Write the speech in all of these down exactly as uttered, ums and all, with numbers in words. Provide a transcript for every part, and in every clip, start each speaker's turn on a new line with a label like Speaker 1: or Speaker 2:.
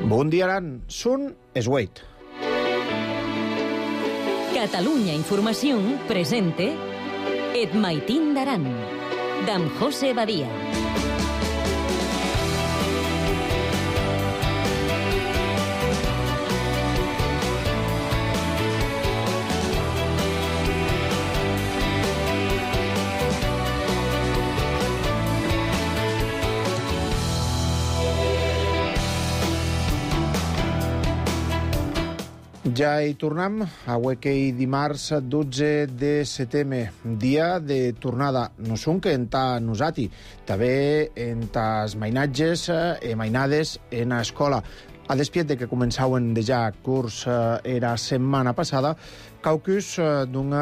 Speaker 1: Bon dia, Aran. Sun es Wait.
Speaker 2: Catalunya Informació presente Et Maitín d'Aran, d'en José Badia.
Speaker 1: Ja hi tornem, avui que hi dimarts dotze de setembre, dia de tornada, no són que enta nosati, també enta els mainatges e mainades en escola. A despiet de que començaven ja curs era setmana passada, caucus d'un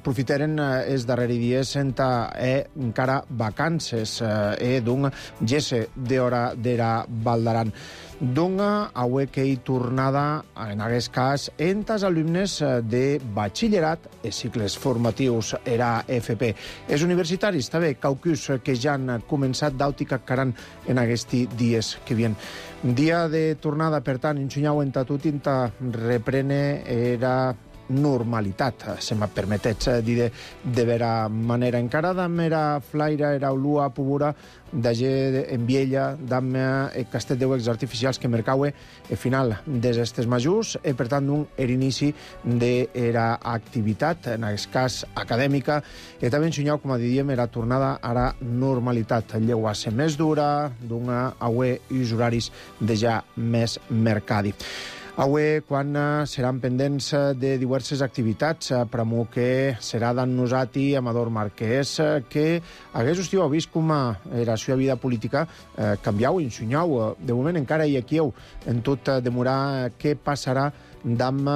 Speaker 1: profiteren els darrers dies enta e encara vacances e d'un gesse d'hora d'era Val d'Aran. Dunga, avui que hi tornada, en aquest cas, entre els alumnes de batxillerat i cicles formatius era F P. Els universitaris, també, caucus que ja han començat d'àutica caran en aquests dies que vien. Dia de tornada, per tant, ensenyau enta tot, enta reprene era normalitat, se m'ha permetets dir de, de vera manera. Encara damb era flaira, era olua, pobura, d'age en viella, damb e castet d'euecs artificials que mercaue e final des estes majors e per tant un er inici d'era activitat, en aquest cas acadèmica, e també ensenyau, com a diem, era tornada a la normalitat. Lleua ser més dura, d'una aue i uns horaris de ja més mercadi. Avui, quan seran pendents de diverses activitats, pramo que serà d'en nosati Amador Marquès, que hagués estiu vist com era la seva vida política eh, canviau i ensenyau. De moment encara hi aquí en tot demorar què passarà damb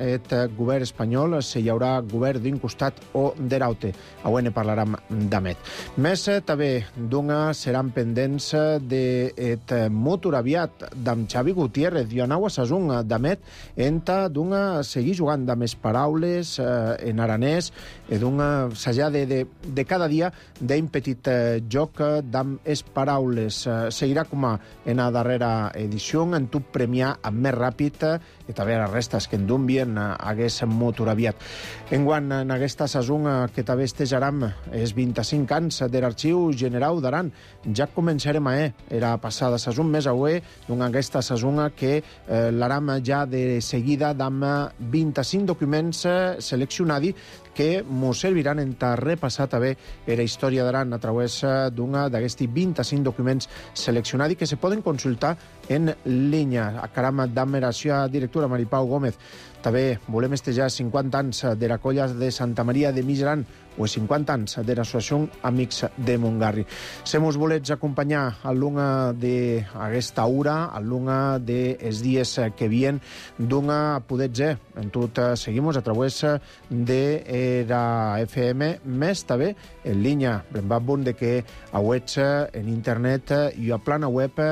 Speaker 1: et govern espanyol, si hi haurà govern d'un costat o de l'altre. Avui ne parlarem d'amet. Més també d'una seran pendents d'et motor aviat d'en Xavi Gutiérrez i anau a sasung d'amet enta d'una seguir jugant amb les paraules eh, en aranès i d'una sajar de, de, de cada dia d'un petit eh, joc d'amb les paraules. Eh, seguirà com a en la darrera edició en tot premiar amb més ràpid i també les restes que en donvien hagués motor aviat. Enguant en aquesta sasung que també estejaram els vint-i-cinc anys de l'Arxiu General d'Aran. Ja començarem a eh, era passada sasung més avui d'una aquesta sasung que eh, l'aram ja de seguida d'amb vint-i-cinc documents seleccionats que mos serviran en ta repassar també la història d'Aran a través d'una d'aquests vint-i-cinc documents seleccionats que se poden consultar en línia. A caram d'amb la seva directora Maripau Gómez. També volem estejar cinquanta anys de la colla de Santa Maria de Migeran o cinquanta anys de l'associació Amics de Montgarri. Se mos volets acompanyar a l'una d'aquesta hora, a l'una dels dies que vien, d'una podets en tot seguimos a través de la F M, més també en línia. Brembat bon de que a web en internet i a plana web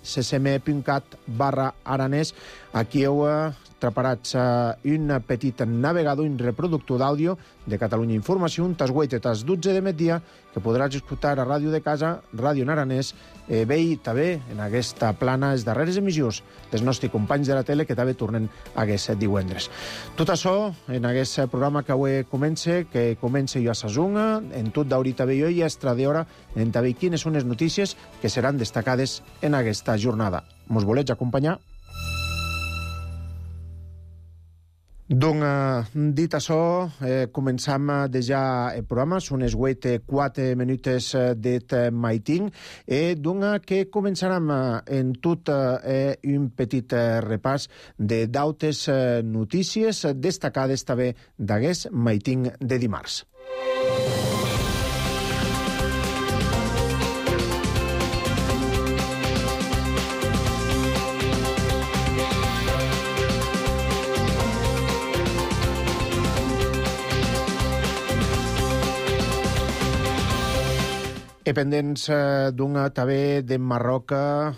Speaker 1: ccm.cat barra aranès. Aquí heu preparats un petit navegador, un reproductor d'àudio de Catalunya Informació, un tas vuit i tas dotze de migdia, que podràs escoltar a Ràdio de Casa, Ràdio en aranès, eh, bé i també en aquesta plana les darreres emissions dels nostres companys de la tele que també tornen aquest divendres. Tot això en aquest programa que avui comença, que comença jo a Sasunga, en tot d'horita bé jo i extra d'hora, en també quines són les notícies que seran destacades en aquesta jornada. Mos volets acompanyar? Donc, dit això, eh, començam de ja el programa, són les vuit i quatre minuts d'et maitín, i donc que començarem en tot eh, un petit repàs de dautes notícies destacades també d'aquest maitín de dimarts. E pendents eh, d'una també de Marroc,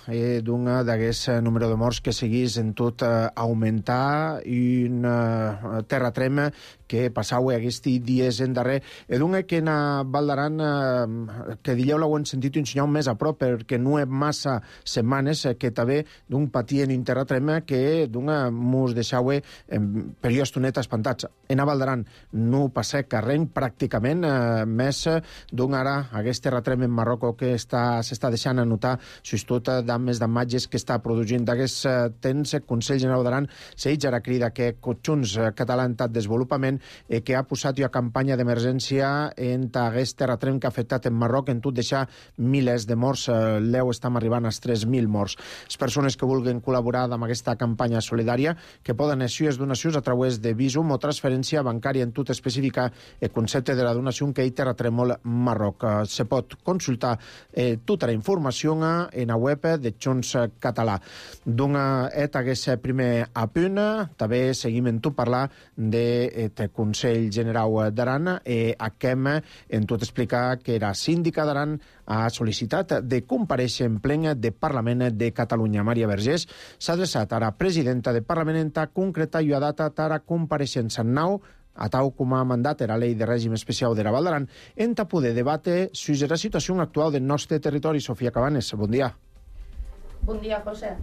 Speaker 1: eh, d'una d'aquest número de morts que seguís en tot eh, augmentar, i un eh, terratrem que passau aquests dies en darrer. E dunque que en Val d'Aran, eh, que dileu l'ho hem sentit un senyal més a prop, perquè no és massa setmanes eh, que també d'un patient interratrema que d'un mos deixau eh, per jo estoneta espantats. En Val d'Aran no passa carreny pràcticament, eh, més d'un ara aquest terratrem en Marroco que s'està deixant a notar sustot d'ammes d'imatges que està produint d'aquest eh, temps. El Consell General d'Aran s'eix ara crida que Junts català en tot desenvolupament eh, que ha posat jo a campanya d'emergència en aquest terratrem que ha afectat en Marroc, en tot deixar milers de morts. Eh, L'eu estem arribant als tres mil morts. Les persones que vulguin col·laborar amb aquesta campanya solidària que poden eixir les donacions a través de Visum o transferència bancària en tot específica el concepte de la donació que hi terratrèmol Marroc. Eh, se pot consultar eh, tota la informació en la web de Junts Català. D'un et aquest primer apunt, també seguim en tot parlar del de, Consell General d'Aran i eh, aquem en tot explicar que la síndica d'Aran ha sol·licitat de comparèixer en plen de Parlament de Catalunya. Maria Vergés s'ha adreçat a la presidenta de Parlament en ta concreta i ha datat a la compareixença en nau a tau com a mandat era Llei de Règim Especial de la Val d'Aran, en ta poder debate sobre la situació actual del nostre territori. Sofia Cabanes, bon dia.
Speaker 3: Bon dia, José.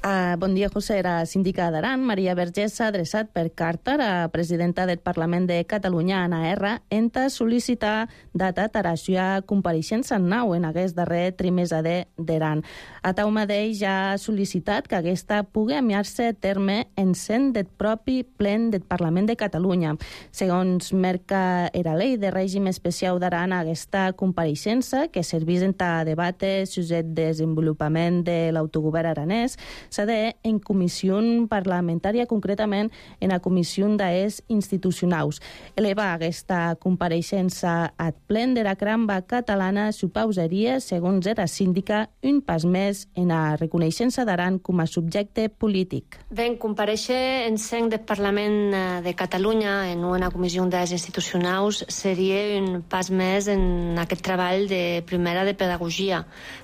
Speaker 3: Uh, bon dia, José. La síndica d'Aran, Maria Vergés, s'ha adreçat per carta a la presidenta del Parlament de Catalunya, Anna R, en ta sol·licitar data per a la compareixença en nau en aquest darrer trimestre d'Aran. A tau mateix ja ha sol·licitat que aquesta pugui enviar-se a terme en sent del propi plen del Parlament de Catalunya. Segons merca era Llei de Règim Especial d'Aran, aquesta compareixença, que servís en ta debate sobre el desenvolupament de l'autogovern aranès, s'ha de en comissió parlamentària, concretament en la comissió d'Aes institucionals. Elevar aquesta compareixença al plen de la cramba catalana supausaria, segons era síndica, un pas més en la reconeixença d'Aran com a subjecte polític.
Speaker 4: Ben, compareixer en seny del Parlament de Catalunya en una comissió d'Aes institucionals seria un pas més en aquest treball de primera de pedagogia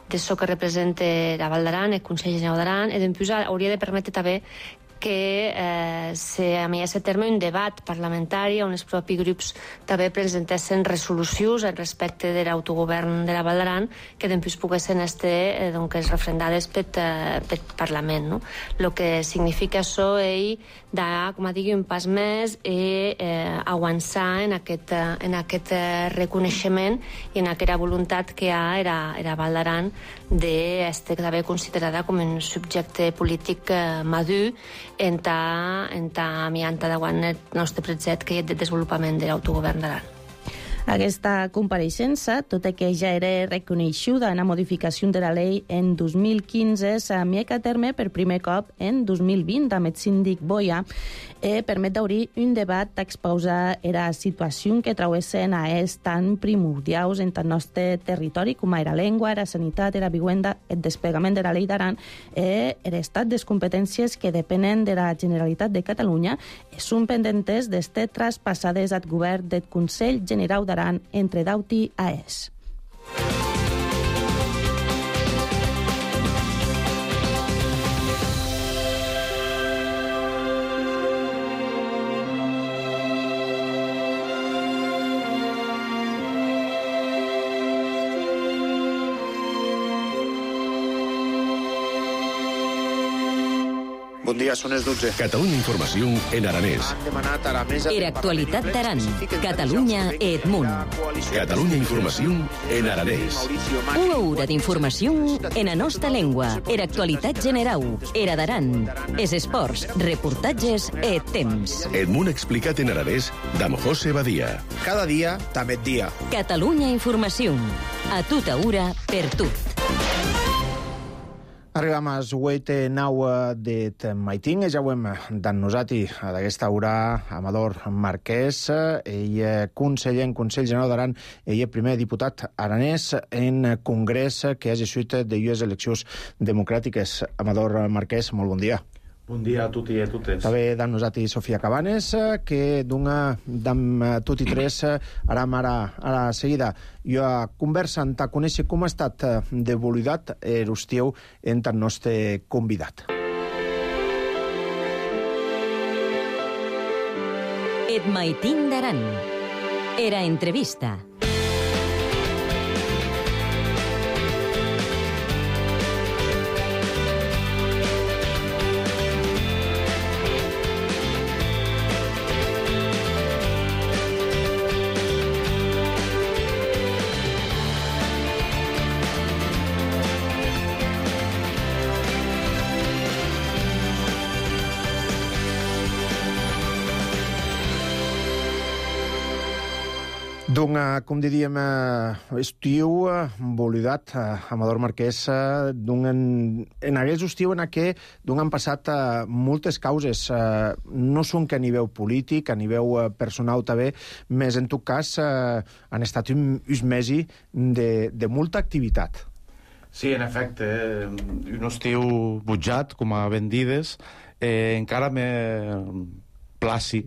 Speaker 4: d'això que representa la Val d'Aran, el Consell General d'Aran, i després hauria de permetre també que eh, s'enviés a terme un debat parlamentari on els propis grups també presentessin resolucions al respecte de l'autogovern de la Val d'Aran que després poguessin estar eh, doncs, referendades pel, eh, pel Parlament. No? El que significa això és dar, com a digui, un pas més i eh, avançar en aquest, en aquest reconeixement i en aquesta voluntat que hi ha a la Val d'Aran d'estar també considerada com un subjecte polític eh, madur en ta, en ta mianta davant el nostre projecte que és de desenvolupament de l'autogovern d'Aran.
Speaker 3: Aquesta compareixença, tot i que ja era reconeixuda en la modificació de la llei en dos mil quinze, s'envia a terme per primer cop en dos mil vint amb el síndic Boia, i permet d'obrir un debat d'exposar la situació que travessen a és tan primordials en el nostre territori com la llengua, la sanitat, la vivenda, el desplegament de la llei d'Aran i l'estat de les competències que depenen de la Generalitat de Catalunya són pendentes d'estar traspassades al govern del Consell General d'Aran entre Dauti i Aes.
Speaker 1: Bon dia, són les dotze.
Speaker 5: Catalunya Informació en aranès.
Speaker 2: Era actualitat d'Aran, Catalunya e Edmunt.
Speaker 5: Catalunya Informació en aranès.
Speaker 2: Una hora d'informació en la nostra llengua. Era actualitat general. Era d'Aran. Es esports, reportatges e temps.
Speaker 5: Edmunt explicat en aranès d'Am José Badia.
Speaker 1: Cada dia, també dia.
Speaker 2: Catalunya Informació. A tota hora, per tot.
Speaker 1: Arribam a l'huit nau de Maitín, ja ho hem dan nosaltres d'aquesta hora Amador Marquès, ell conseller en Consell General d'Aran, ell és primer diputat aranès en Congrés que ha gessuit de llues eleccions democràtiques. Amador Marquès, molt bon dia.
Speaker 6: Bon dia a tutti e a totes.
Speaker 1: També dan nosaltres Sofia Cabanes, que d'una d'am tutti tres aram ara a la seguida. Jo conversant a conèixer com ha estat d'evoluïdat l'estiu en el nostre convidat.
Speaker 2: Et maitin d'Aran. Era entrevista.
Speaker 1: D'un, com diríem, estiu embolidat, Amador Marquès, d'un en aquest estiu en què d'un han passat moltes causes, no són que a nivell polític, a nivell personal també, més en tot cas han estat uns mesos de, de molta activitat.
Speaker 6: Sí, en efecte, un estiu butjat, com a ben dides, eh, encara me... placi,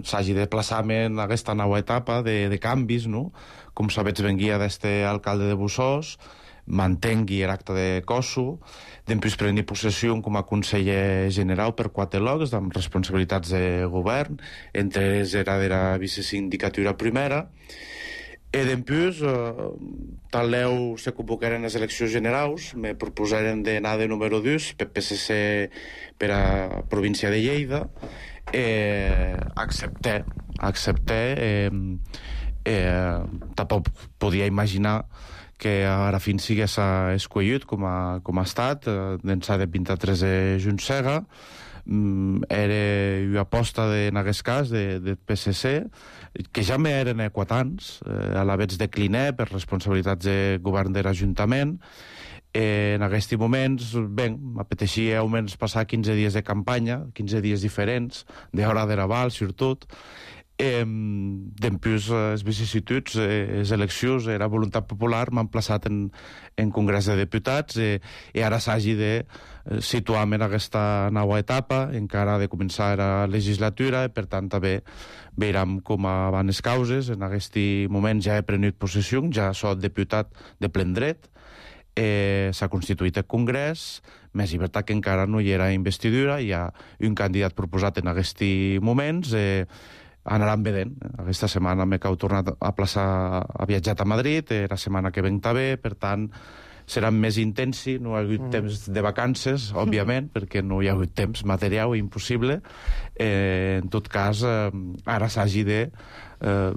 Speaker 6: s'hagi de plaçar-me en aquesta nova etapa de, de canvis, no? Com sabets, venguia d'este alcalde de Bussós, mantengui l'acte de Cosso, després prengui possessió com a conseller general per quatre locs, amb responsabilitats de govern, entre ells era de la vicesindicatura primera, i després, eh, taleu se convocaren les eleccions generals, me proposaren d'anar de número dos per P S C per a província de Lleida, eh, accepté accepté eh, eh, tampoc podia imaginar que ara fins sigués escollit com a, com a estat eh, d'ençà de vint-i-tres de Juntsega. Mm, era una aposta de, en aquest cas de, de P S C que ja m'eren equatants, eh, a la vegada decliné per responsabilitats de govern de l'Ajuntament. Eh, en aquests moments, bé, m'apeteixia almenys passar quinze dies de campanya, quinze dies diferents, d'hora de Raval, sobretot. Eh, Després, les vicissituds, eh, les eleccions, era voluntat popular, m'han plaçat en, en Congrés de Diputats eh, i ara s'hagi de situar-me en aquesta nova etapa, encara de començar la legislatura, i per tant també veurem com van les causes. En aquest moment ja he prenut possessió, ja soc diputat de plen dret, Eh, s'ha constituït el Congrés, més llibertat que encara no hi era investidura, hi ha un candidat proposat en aquests moments, eh, anaran vedent. Aquesta setmana m'he tornat a plaçar, a viatjat a Madrid, eh, la setmana que venc també, per tant serà més intensi, no hi ha hagut mm. temps de vacances, òbviament, perquè no hi ha hagut temps material, impossible. Eh, en tot cas, eh, ara s'hagi de eh,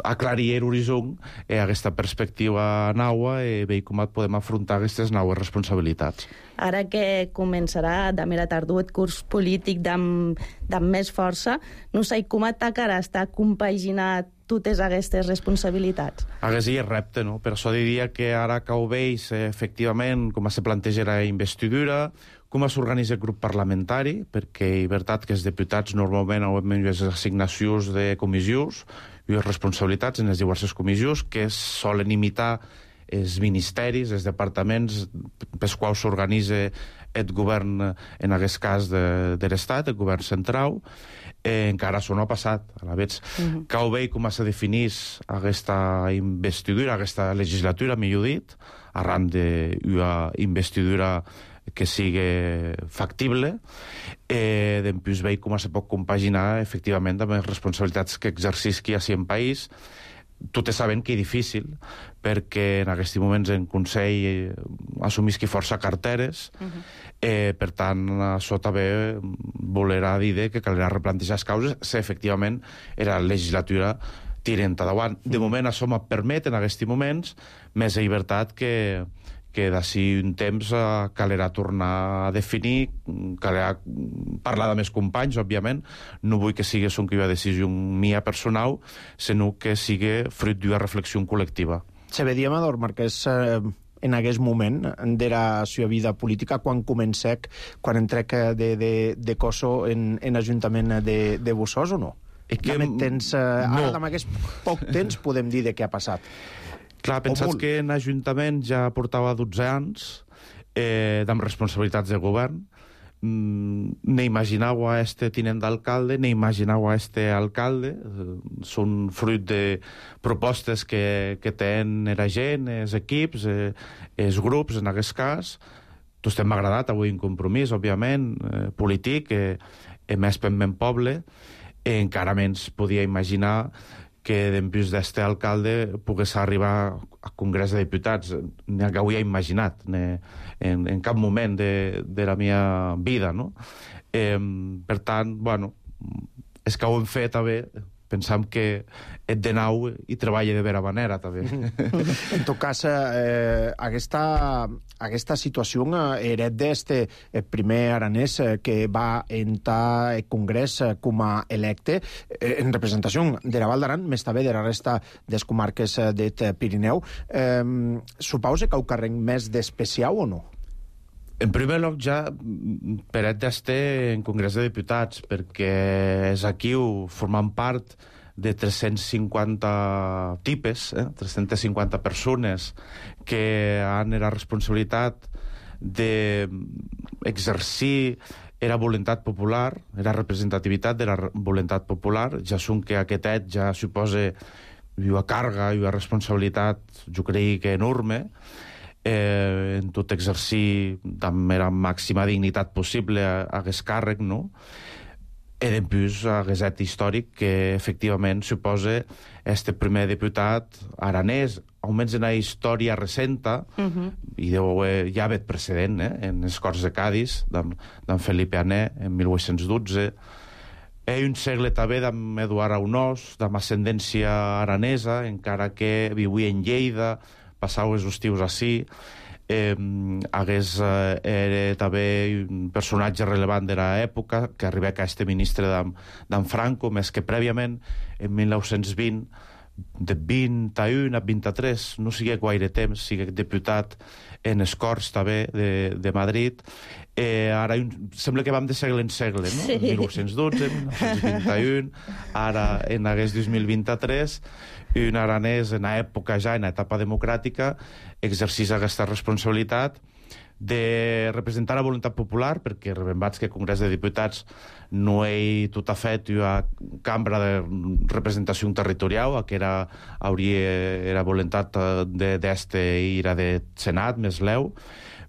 Speaker 6: aclarir l'horitzó eh, aquesta perspectiva nova i veure com podem afrontar aquestes noves responsabilitats.
Speaker 3: Ara que començarà demà a la tardor el curs polític d'amb, d'amb més força, no sé com atacarà estar compaginat totes aquestes responsabilitats.
Speaker 6: Aquest és el repte, no? Per això diria que ara que ho veig, efectivament, com se planteja la investidura, com s'organitza el grup parlamentari, perquè és veritat que els diputats normalment han les assignacions de comissions i les responsabilitats en les diverses comissions que solen imitar els ministeris, els departaments pels quals s'organitza el govern, en aquest cas de, de l'Estat, el govern central. Eh, encara això no ha passat. A la vegada uh-huh. que ho veig com se definís aquesta investidura, aquesta legislatura, millor dit, arran d'una investidura que sigui factible, eh, després veig com se pot compaginar efectivament amb les responsabilitats que exercisqui així en país. Tot sabent que és difícil, perquè en aquests moments en Consell assumisqui força carteres, uh-huh. eh, per tant, això també volerà dir que caldrà replantejar les causes si efectivament era la legislatura tirant endavant. De moment això me permet en aquests moments més llibertat que que d'ací un temps eh, calerà tornar a definir, calerà parlar de més companys, òbviament. No vull que sigui una decisió mia personal, sinó que sigui fruit d'una reflexió col·lectiva.
Speaker 1: Se vedia, Amador Marquès, eh, en aquest moment de la seva vida política, quan comencec, quan entrec de, de, de Cosso en, en l'Ajuntament de, de Bussós, o no? Que, tens, eh, no. Ara, amb aquest poc temps, podem dir de què ha passat.
Speaker 6: Clar, pensats que en l'Ajuntament ja portava dotze anys eh, amb responsabilitats de govern. Mm, ne imaginau a este tinent d'alcalde, ne imaginau a este alcalde. Eh, són fruit de propostes que, que tenen la gent, els equips, eh, els grups, en aquest cas. Tots m'ha agradat avui un compromís, òbviament, eh, polític, eh, més per ben poble. E encara menys podia imaginar que dempús d'este alcalde pogués arribar al Congrés de Diputats. Ni que ho havia imaginat en, en cap moment de, de la meva vida, no? Eh, per tant, bueno, és que ho hem fet també, pensam que et de nau i treballa de vera manera, també.
Speaker 1: En tot cas, eh, aquesta, aquesta situació eh, era d'este eh, primer aranès eh, que va entrar al Congrés eh, com a electe eh, en representació de la Val d'Aran, més també de la resta des comarques eh, del Pirineu. Eh, supose que ho carrec més d'especial o no?
Speaker 6: En primer lloc, ja, Peret d'este en Congrés de Diputats, perquè és aquí formant part de tres-cents cinquanta tipes, eh? tres-centes cinquanta persones que han la responsabilitat d'exercir era voluntat popular, era representativitat de la voluntat popular, ja són que aquest et ja suposa una càrrega i una responsabilitat, jo crec que enorme, eh, en tot exercir amb la màxima dignitat possible a aquest càrrec, no? E dempús aquest et històric que efectivament suposa este primer diputat aranès, almenys en la història recenta, uh-huh. i deu haver ja haver precedent, eh, en les Corts de Cadis, d'en Felipe Ané, en mil vuit-cents dotze, e un segle també d'en Eduard Aunós, d'en ascendència aranesa, encara que vivia en Lleida, passava els estius ací, eh, hagués eh, era també un personatge rellevant de l'època, que arriba a este ministre d'en Franco, més que prèviament, en mil nou-cents vint, de vint-i-un a vint-i-tres, no sigui gaire temps, sigui diputat en les Corts també de, de Madrid. Eh, ara un, sembla que vam de segle en segle, no? Sí. mil vuit-cents dotze, mil nou-cents vint-i-un, ara en aquest dos mil vint-i-tres, un aranès en l'època ja, en l'etapa democràtica, exercís aquesta responsabilitat de representar la voluntat popular, perquè rebembats que el Congrés de Diputats no és tot a fet una cambra de representació territorial, que era, hauria, era voluntat d'este i era de Senat, més leu,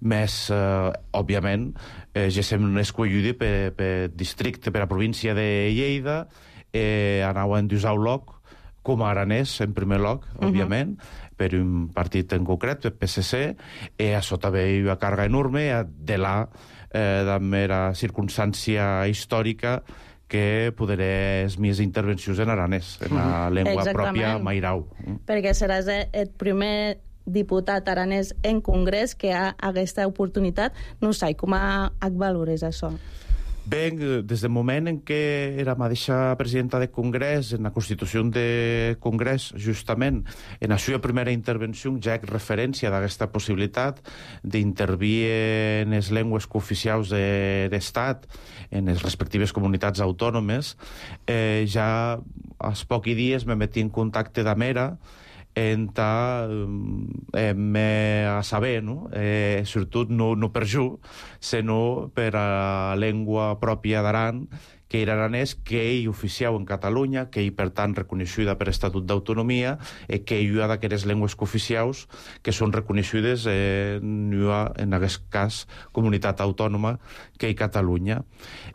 Speaker 6: més, eh, òbviament, eh, ja sem escollida per, per districte, per a província de Lleida, eh, anau a endusar un loc, com a aranès, en primer lloc, uh-huh. òbviament, per un partit en concret, el P S C, i això també hi ha una càrrega enorme de la eh, de mera circumstància històrica que poderé les meves intervencions en aranès, en la llengua Exactament. Pròpia mairau.
Speaker 3: Perquè seràs el primer diputat aranès en Congrés que ha aquesta oportunitat. No sé, com a valores això?
Speaker 6: Bé, des del moment en què era mateixa presidenta de Congrés, en la Constitució de Congrés, justament, en la seva primera intervenció ja hi ha referència d'aquesta possibilitat d'intervir en les llengües cooficials de l'Estat, en les respectives comunitats autònomes. Eh, ja als pocs dies me metí en contacte d'Amera, enta eh, me a saber, no? Eh, sobretot no, no per jo, sinó per a llengua pròpia d'Aran, que era aranès, que ell oficiau en Catalunya, que ell, per tant, reconeixuda per Estatut d'Autonomia, i que ell ha d'aquestes llengües cooficiaus que són reconeixudes eh, en aquest cas, comunitat autònoma, que és Catalunya.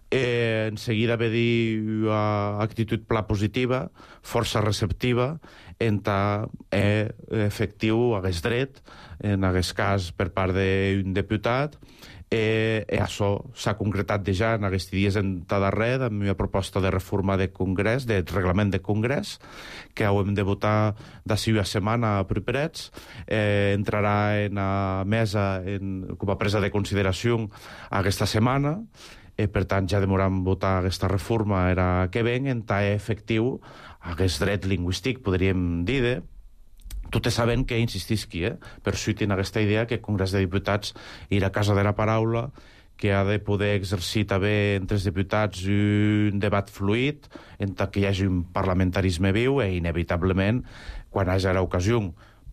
Speaker 6: Eh, en seguida ve dir una actitud pla positiva, força receptiva, enta eh, efectiu hagués dret, en aquest cas per part d'un diputat, eh, i això s'ha concretat ja en aquests dies en darrer amb una proposta de reforma de Congrés, de reglament de Congrés, que hem de votar d'ací una setmana properets, eh, entrarà en la mesa en, com a presa de consideració aquesta setmana, eh, per tant ja demoram votar aquesta reforma era que ven, en tant efectiu aquest dret lingüístic, podríem dir, tot sabent que insistisqui, eh? per suïtir en aquesta idea que el Congrés de Diputats ir a casa de la paraula, que ha de poder exercir també entre els diputats un debat fluid, en tant que hi hagi un parlamentarisme viu, i inevitablement, quan hi hagi l'ocasió,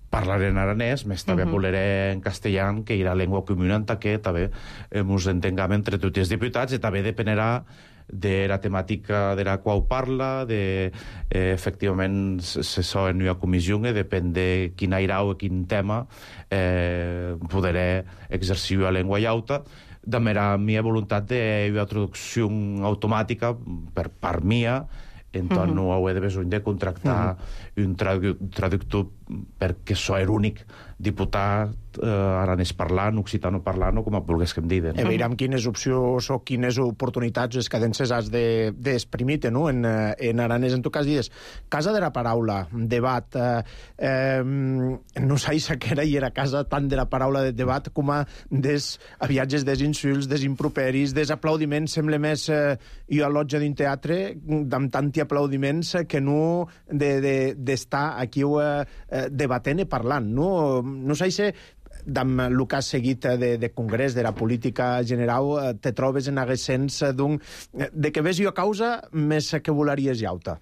Speaker 6: parlaré en aranès, més també uh-huh. voleré en castellà, que hi ha llengua comuna, en tant que també ens entengam entre tots els diputats, i també dependerà de la temàtica de la qual parla, de, eh, efectivament, se so en una comissió, i depèn de quin airau o quin tema eh, poderé exercir la llengua llauta, de mera meva voluntat de una traducció automàtica per part mia entonces
Speaker 3: Mhm.
Speaker 6: no hauré de besoin de contractar un tradu- traductor perquè so er únic diputat eh, aranès parlant, occitano parlant o com a volgués que em diden.
Speaker 1: E veurem quines opcions o quines oportunitats les cadences has d'exprimir-te, no? En, eh, en aranès, en tot cas, dius, casa de la paraula, debat, eh, eh, no sé que era i era casa tant de la paraula de debat com a des aviatges, des insults, des improperis, des aplaudiments, sembla més eh, jo a lotja d'un teatre amb tanti aplaudiments que no d'estar de, de, aquí eh, debatent i parlant, no? No sé si amb el que has seguit de, de congrés, de la política general, te trobes en aquest sens d'un... de que ves jo a causa més que volaries llauta.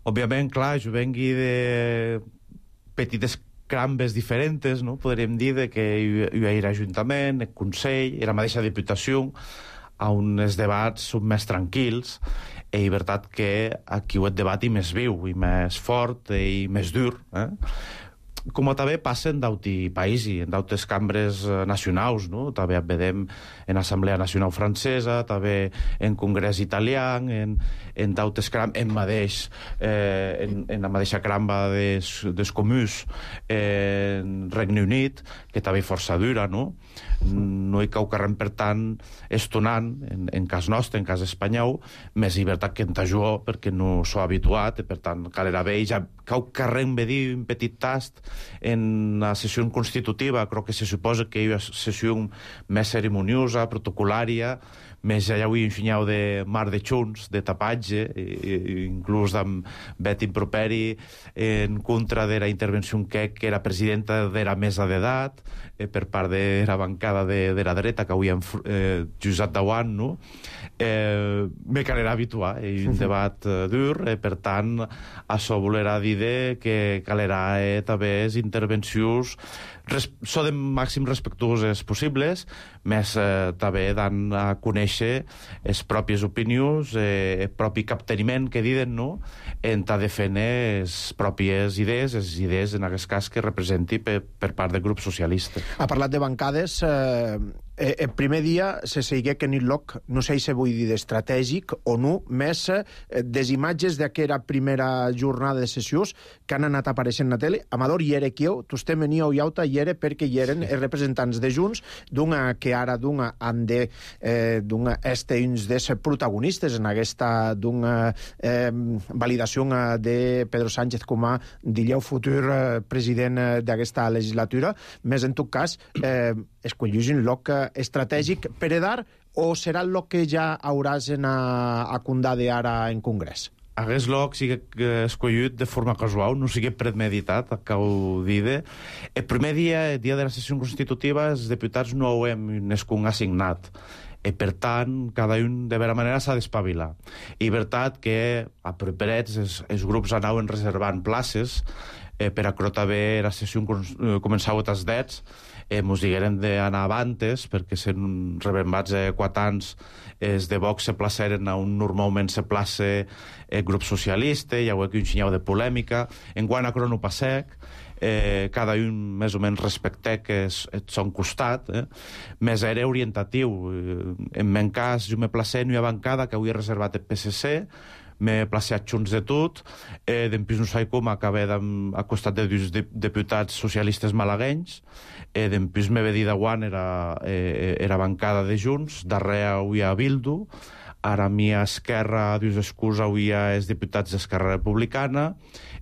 Speaker 6: Òbviament, clar, jo vengui de petites crambes diferents, no? Podríem dir de que jo era ajuntament, el Consell, era la mateixa Diputació, on els debats són més tranquils, i és veritat que aquí el debat és més viu, i més fort, i més dur, eh? Com també passa en d'auti païsi, en d'autes cambres nacionals, no? També vedem en Assemblea Nacional Francesa, també en Congrés Italià, en, en d'autes cram, en mateix, eh, en, en la mateixa cramba des, des comuns eh, en Regne Unit, que també força dura, no? No hi cau carrem, per tant, estonant, en, en cas nostre, en cas espanyol, més llibertat que en tajó, perquè no s'ho habituat, i per tant, calera bé, ja cau carrem ve dir un petit tast en la sessió constitutiva, crec que se suposa que hi ha sessió més cerimoniosa, protocolària, més ja ho he ensenyat de mar de xuns, de tapatge, i, i, inclús amb bet improperi en contra de la intervenció que, que era presidenta de la mesa d'edat, eh, per part de la bancada de, de la dreta, que avui hem eh, Josep Dauant, no? Eh, me calera habituar, és un debat eh, dur, eh, per tant, això volerà dir que calera eh, també és intervencions res, so de màxim respectuoses possibles, més eh, també dan a conèixer les pròpies opinions, eh, el propi capteniment que diuen, no?, en ta defendre les pròpies idees, les idees, en aquest cas, que representi per, per part del grup socialista.
Speaker 1: Ha parlat de bancades. Eh, el primer dia se seguia que en lloc, no sé si vull dir d'estratègic o no, més eh, des imatges d'aquella primera jornada de sessions que han anat apareixent a la tele. Amador, hi era qui heu, tu estem venia i auta, hi era perquè hi eren els representants de Junts, d'una que ara d'una han de eh, d'una este uns dels protagonistes en aquesta d'una eh, validació de Pedro Sánchez com a dilleu futur eh, president eh, d'aquesta legislatura, més en tot cas eh, escollís un lloc estratègic per edar o serà el lloc que ja hauràs a, a condade ara en Congrés?
Speaker 6: Aquest lloc sigui escollit de forma casual, no sigui premeditat, acabo de dir. El primer dia, el dia de la sessió constitutiva, els diputats no ho hem nescun assignat. I, per tant, cada un, de vera manera, s'ha d'espavilar. I, veritat, que a properets els, els grups anaven reservant places eh, per acrotar bé la sessió començava a tas dets, eh, mos digueren d'anar avantes, perquè sent rebembats eh, quatre anys els de Vox se placeren on normalment se place el grup socialista, hi ha aquí un xinyau de polèmica, en quant a crono passec, eh, cada un més o menys respecte que és el son costat, eh? Més era orientatiu. En men cas, jo me placé en una bancada que avui he reservat el P S C, m'he plaçat junts de tot, eh, d'empís no sé com acabé a costat de dos diputats socialistes malaguenys, eh, d'empís me ve dir de guant era, eh, era bancada de Junts, darrere avui a Bildu, ara a mi a Esquerra, dius excusa, avui hi ha els diputats d'Esquerra Republicana,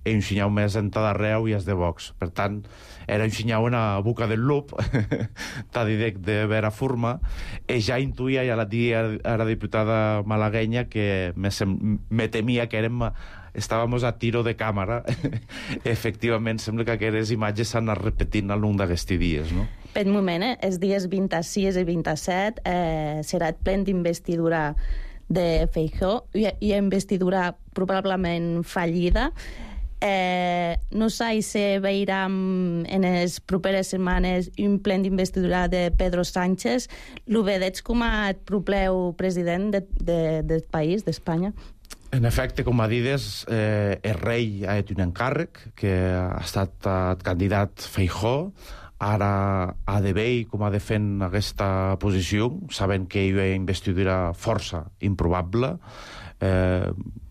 Speaker 6: i un xinyau més en ta darrere avui és de Vox. Per tant, era un xinyau en la boca del lup, t'ha dit de vera forma, i ja intuïa, ja la dia a la diputada malaguenya, que me, me temia que érem, estàvem a tiro de càmera. Efectivament, sembla que aquestes imatges s'han anat repetint al llarg d'aquests dies, no?
Speaker 3: Per moment, eh, els dies vint-i-sis i vint-i-set eh, serà el ple d'investidura de Feijóo i, i investidura probablement fallida. Eh, no sé si veurem en les properes setmanes un ple d'investidura de Pedro Sánchez. Lo vedeig com a propleu president de, de, del país, d'Espanya?
Speaker 6: En efecte, com a dides, eh, el rei ha fet un encàrrec que ha estat el candidat Feijóo ara ha de veure com ha de fer aquesta posició, sabent que hi ha investidura força improbable. Eh,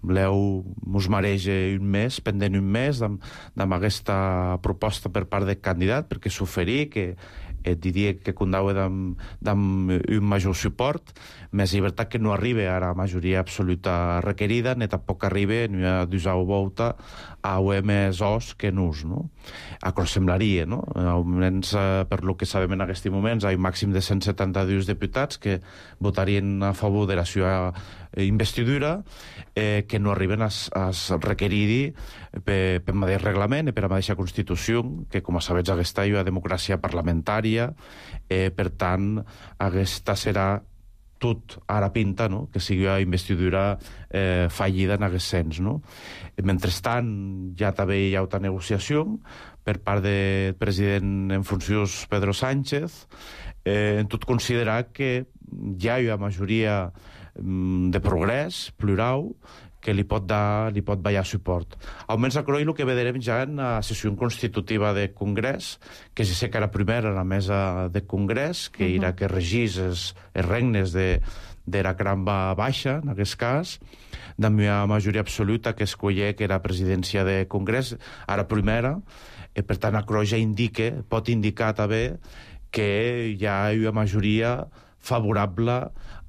Speaker 6: l'Eu mos mareja un mes, pendent un mes amb aquesta proposta per part del candidat, perquè s'oferí que et diria que condaue amb un major suport, més llibertat que no arriba a la majoria absoluta requerida, ni tampoc arriba ni a d'usar volta a més os que nus, no? Acò semblaria, no? Almenys, per lo que sabem en aquests moments, hi ha un màxim de cent setanta-dos diputats que votarien a favor de la seva investidura, eh, que no arriben a, a requerir per, per mateix reglament i per la mateixa Constitució, que, com a sabets, aquesta és una democràcia parlamentària, eh, per tant, aquesta serà tot ara pinta, no?, que sigui una investidura eh, fallida en aquest sens, no? Mentrestant, ja també hi ha una negociació per part del president en funcions Pedro Sánchez, eh, en tot considerar que ja hi ha majoria de progrés, plural, que li pot dar, li pot ballar suport. Almenys a Croi el que veurem ja en la sessió constitutiva del Congrés, que ja sé que era primera a la mesa del Congrés, que uh-huh. era que regís els, els regnes de, de la cramba baixa, en aquest cas, de la majoria absoluta que escollé que era presidència del Congrés, ara primera, i per tant a Croi ja indica, pot indicar també que hi ha una majoria favorable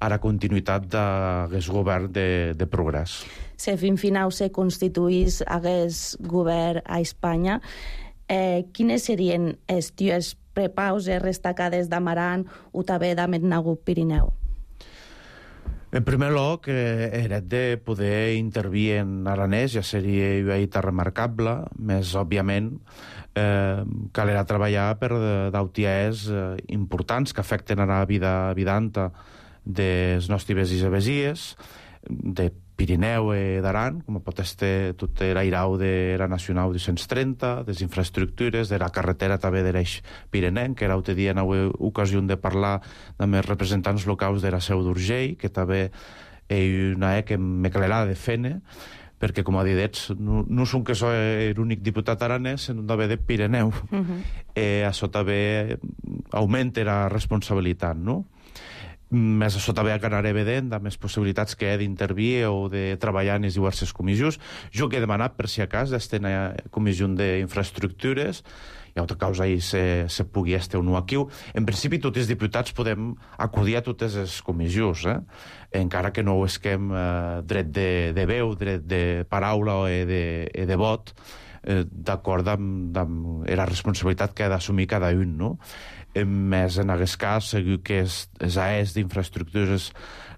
Speaker 6: a la continuïtat d'aquest govern de, de progrés.
Speaker 3: Si fin final se constituís aquest govern a Espanya, eh, quines serien les teves prepauses destacades d'Amaran o també de Metnagut Pirineu?
Speaker 6: En primer lloc, eh, era de poder intervir en aranès, ja seria una eita remarcable, més òbviament eh, calera treballar per d'autiers eh, importants que afecten a la vida vidanta dels nostres isabesies, de Pirineu i d'Aran, com pot estar tot l'airau de la Nacional dos cents trenta, des infraestructures, de la carretera també de l'eix pirenenc, que era l'altre dia en ocasió de parlar amb els representants locals de la Seu d'Urgell, que també és una E que me calerà de fene, perquè, com ha dit, no, no som que soc l'únic diputat aranès, sinó també de Pirineu. Uh-huh. eh, això també augmenta la responsabilitat, no? Més això també quedarà evident de més possibilitats que he d'intervir o de treballar en les diverses comissions. Jo que he demanat, per si a cas, d'estar en la comissió d'infraestructures, hi ha altra causa i se, se pugui estar o no aquí. En principi, tots els diputats podem acudir a totes les comissions, eh? Encara que no ho esquem eh, dret de, de veu, dret de paraula o de, de vot, eh, d'acord amb, amb la responsabilitat que ha d'assumir cada un, no? Més en aquest cas, segur que les A Es d'infraestructures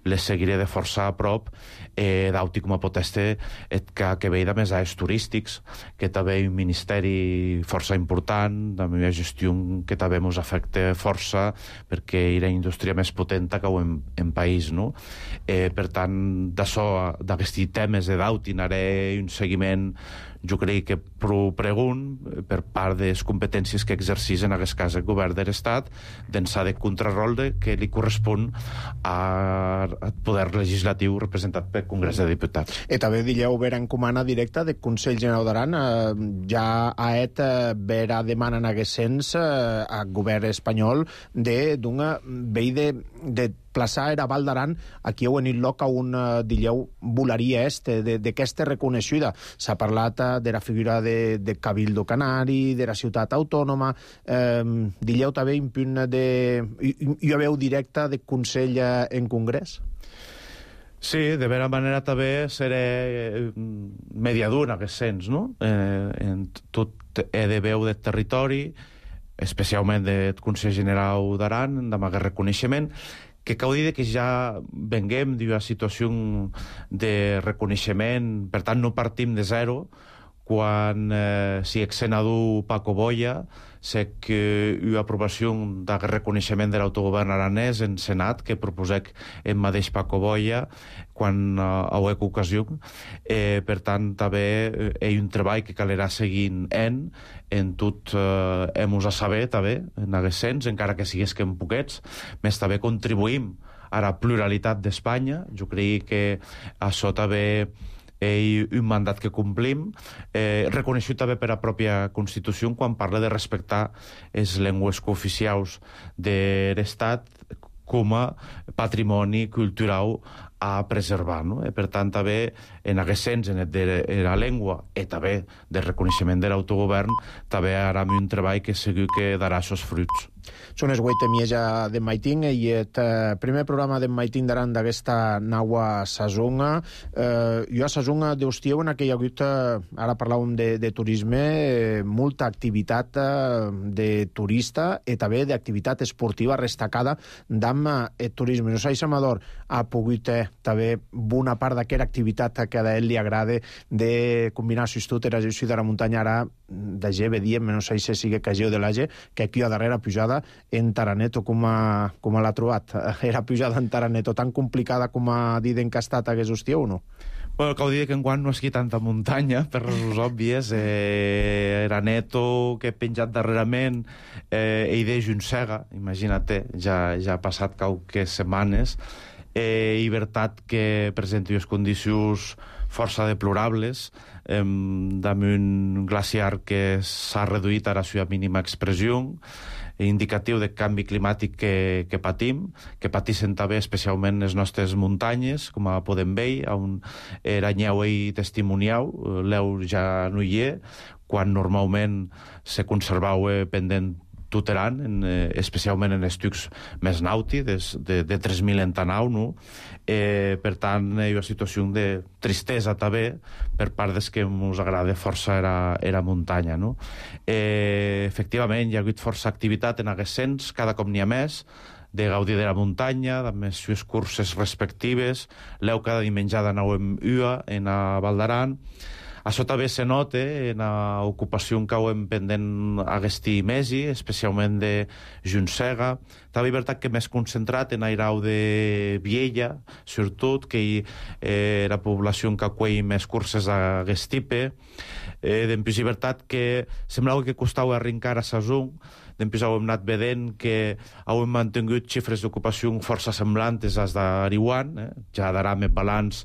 Speaker 6: les seguiré de força a prop, eh, d'auti com a poteste que, que veia més A Es turístics, que també un ministeri força important, també una gestió que també ens afecta força, perquè era una indústria més potenta que en, en país, no? Eh, per tant, d'això, d'aquests temes de d'auti, anaré un seguiment, jo crec que prou pregun per part de les competències que exercís en aquest cas el govern de l'Estat d'ençà de contrarol de, que li correspon al poder legislatiu representat pel Congrés de Diputats.
Speaker 1: I també dilleu ver encomana directa del Consell General d'Aran. Eh, ja ha et eh, vera demana en aquest sens eh, al govern espanyol d'una vei de, de plaçar era Val d'Aran aquí en el lloc on uh, dilleu volaria este, d'aquesta reconeixida. S'ha parlat uh, de la figura de, de Cabildo Canari, de la ciutat autònoma, eh, dilleu també un punt de... hi ha veu directa de Consell uh, en Congrés?
Speaker 6: Sí, de vera manera també seré mediador en aquest sens, no? Eh, en tot he de veu del territori, especialment del Consell General d'Aran, amb aquest reconeixement, que cal dir que ja venguem d'una situació de reconeixement, per tant no partim de zero, quan eh, si ex-senador Paco Boya sé que hi ha aprovació de reconeixement de l'autogovern aranès en Senat, que proposec en mateix Paco Boya quan uh, a una ocasió. Eh, per tant, també eh, hi ha un treball que calerà seguint en, en tot eh, hem-nos a saber, també, en aquest sens, encara que sigués que en poquets, més també contribuïm a la pluralitat d'Espanya. Jo crec que això també i un mandat que complim, eh, reconeixut també per la pròpia Constitució quan parla de respectar les llengües cooficials de l'Estat com a patrimoni cultural a preservar, no? E, per tant, també en aquest sens de la llengua i també del reconeixement de l'autogovern també ara un treball que segur que darà els fruits.
Speaker 1: Són les vuit mieja de Maitín i el eh, primer programa de Maitín daran d'aquesta naua Sazunga. Eh, jo a Sazunga d'Hostieu en aquella hagut, eh, ara parlàvem de, de turisme, eh, molta activitat eh, de turista i també d'activitat esportiva destacada d'amb el turisme. No sé, Amador ha pogut eh, també bona part d'aquesta activitat que a ell li agrada de combinar si tu eres de la muntanya ara de G, diem, no sé si sigui que G o de la G, que aquí a darrere pujada en Taraneto, com, a, com a l'ha trobat? Era pujada en Taraneto tan complicada com a dit en que ha estat aquest hostiu o no?
Speaker 6: Bueno, cal dir que enguany no és aquí tanta muntanya, per raons òbvies. Eh, era Neto, que he penjat darrerament, eh, i de Junsega, imagina't, ja, ja ha passat qualques setmanes, eh, i veritat que presenta unes condicions força deplorables, eh, damunt un glaciar que s'ha reduït a la seva mínima expressió, indicatiu de canvi climàtic que, que patim, que patissem també especialment les nostres muntanyes, com a podem veure, on eranyeu i testimoniau, l'eu ja no hi és, quan normalment se conservau pendent tuteran, en, eh, especialment en estucs més nauti, de, de, de tres mil entanau, no? Eh, per tant, hi ha una situació de tristesa també per part des que ens agrada força era, era muntanya, no? Eh, efectivament, hi ha hagut força activitat en aquest sens, cada cop n'hi ha més, de gaudir de la muntanya, de les seves curses respectives, l'eu cada diumenge d'anauem ua en a Val d'Aran. Això també se nota en l'ocupació que hem pendent agesti mesi, especialment de Junsega. També veritat que més concentrat en airau de Viella, sobretot, que eh, la població que acull més curses a Gestipe. Eh, Dempús, veritat que semblava que costava arrencar a Sazung. Dempús hem anat vedent que hem mantingut xifres d'ocupació força semblantes als d'Ariwan, eh? Ja darà més balanç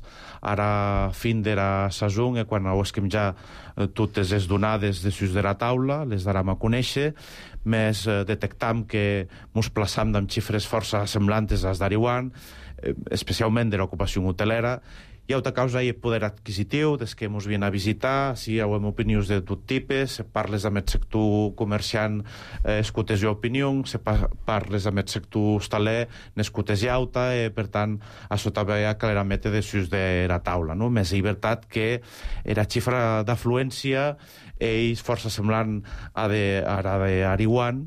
Speaker 6: ara fin de la Sazung, eh? Quan esquem ja eh, totes les donades de sus de la taula, les darem a conèixer, més eh, detectam que ens plaçam amb xifres força semblantes als d'Ariwan, eh, especialment de l'ocupació hotelera. Hi ha altra causa i el poder adquisitiu, des que ens vien a visitar, si hi ha opinions de tot tipus, se parles amb el sector comerciant, eh, escutes i opinions, se parles amb el sector hostaler, n'escutes i auta, eh, per tant, això també hi ha clarament de sus de la taula, no? Més llibertat que la xifra d'afluència és força semblant a de, a la d'Ariwan,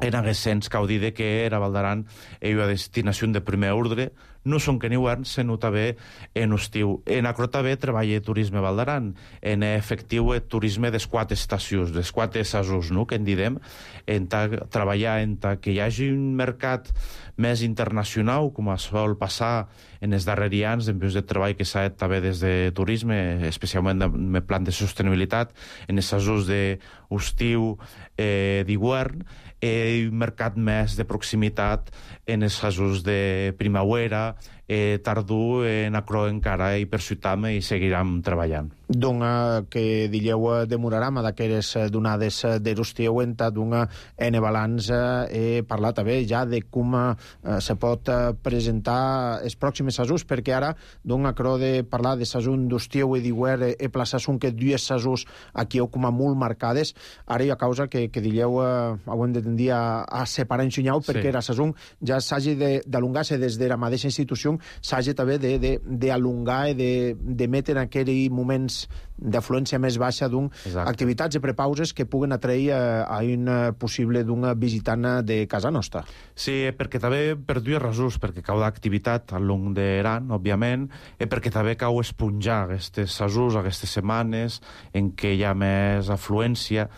Speaker 6: en aquest sens cal dir que era Val d'Aran és una destinació de primer ordre, no són que en hivern, se nota bé en estiu. En acro també treballa turisme Val d'Aran, en efectiu el turisme des quatre estacions, des quatre sasos, no?, que en didem, en ta, treballar en ta, que hi hagi un mercat més internacional, com es sol passar en els darrers anys, en de treball que s'ha fet també des de turisme, especialment en el plan de sostenibilitat, en els sasos d'estiu, eh, d'hivern, i un mercat més de proximitat en els casos de primavera, eh, tardor, en acro encara i per ciutat i seguirem treballant.
Speaker 1: Doncs que dieu demoraram d'aquelles donades de l'estiu en d'una ene balanç he parlat també ja de com eh, se pot presentar els pròxims sasos, perquè ara doncs acro de parlar de sasun d'estiu i d'hivern he plaçat un que dues sasos aquí heu com a molt marcades, ara hi ha causa que, que dieu eh, ho hem de tendir a, a separar en xunyau, perquè sí, la sasun ja s'hagi d'alongar-se des de la mateixa institució, s'hagi també d'alongar i de, de metre en aquells moments d'afluència més baixa d'un activitats i prepauses que puguen atrair a, a un possible d'un visitant de casa nostra.
Speaker 6: Sí, perquè també per dues raons, perquè cau d'activitat al long d'Aran, òbviament, i perquè també cau esponjar aquestes sasos, aquestes setmanes en què hi ha més afluència.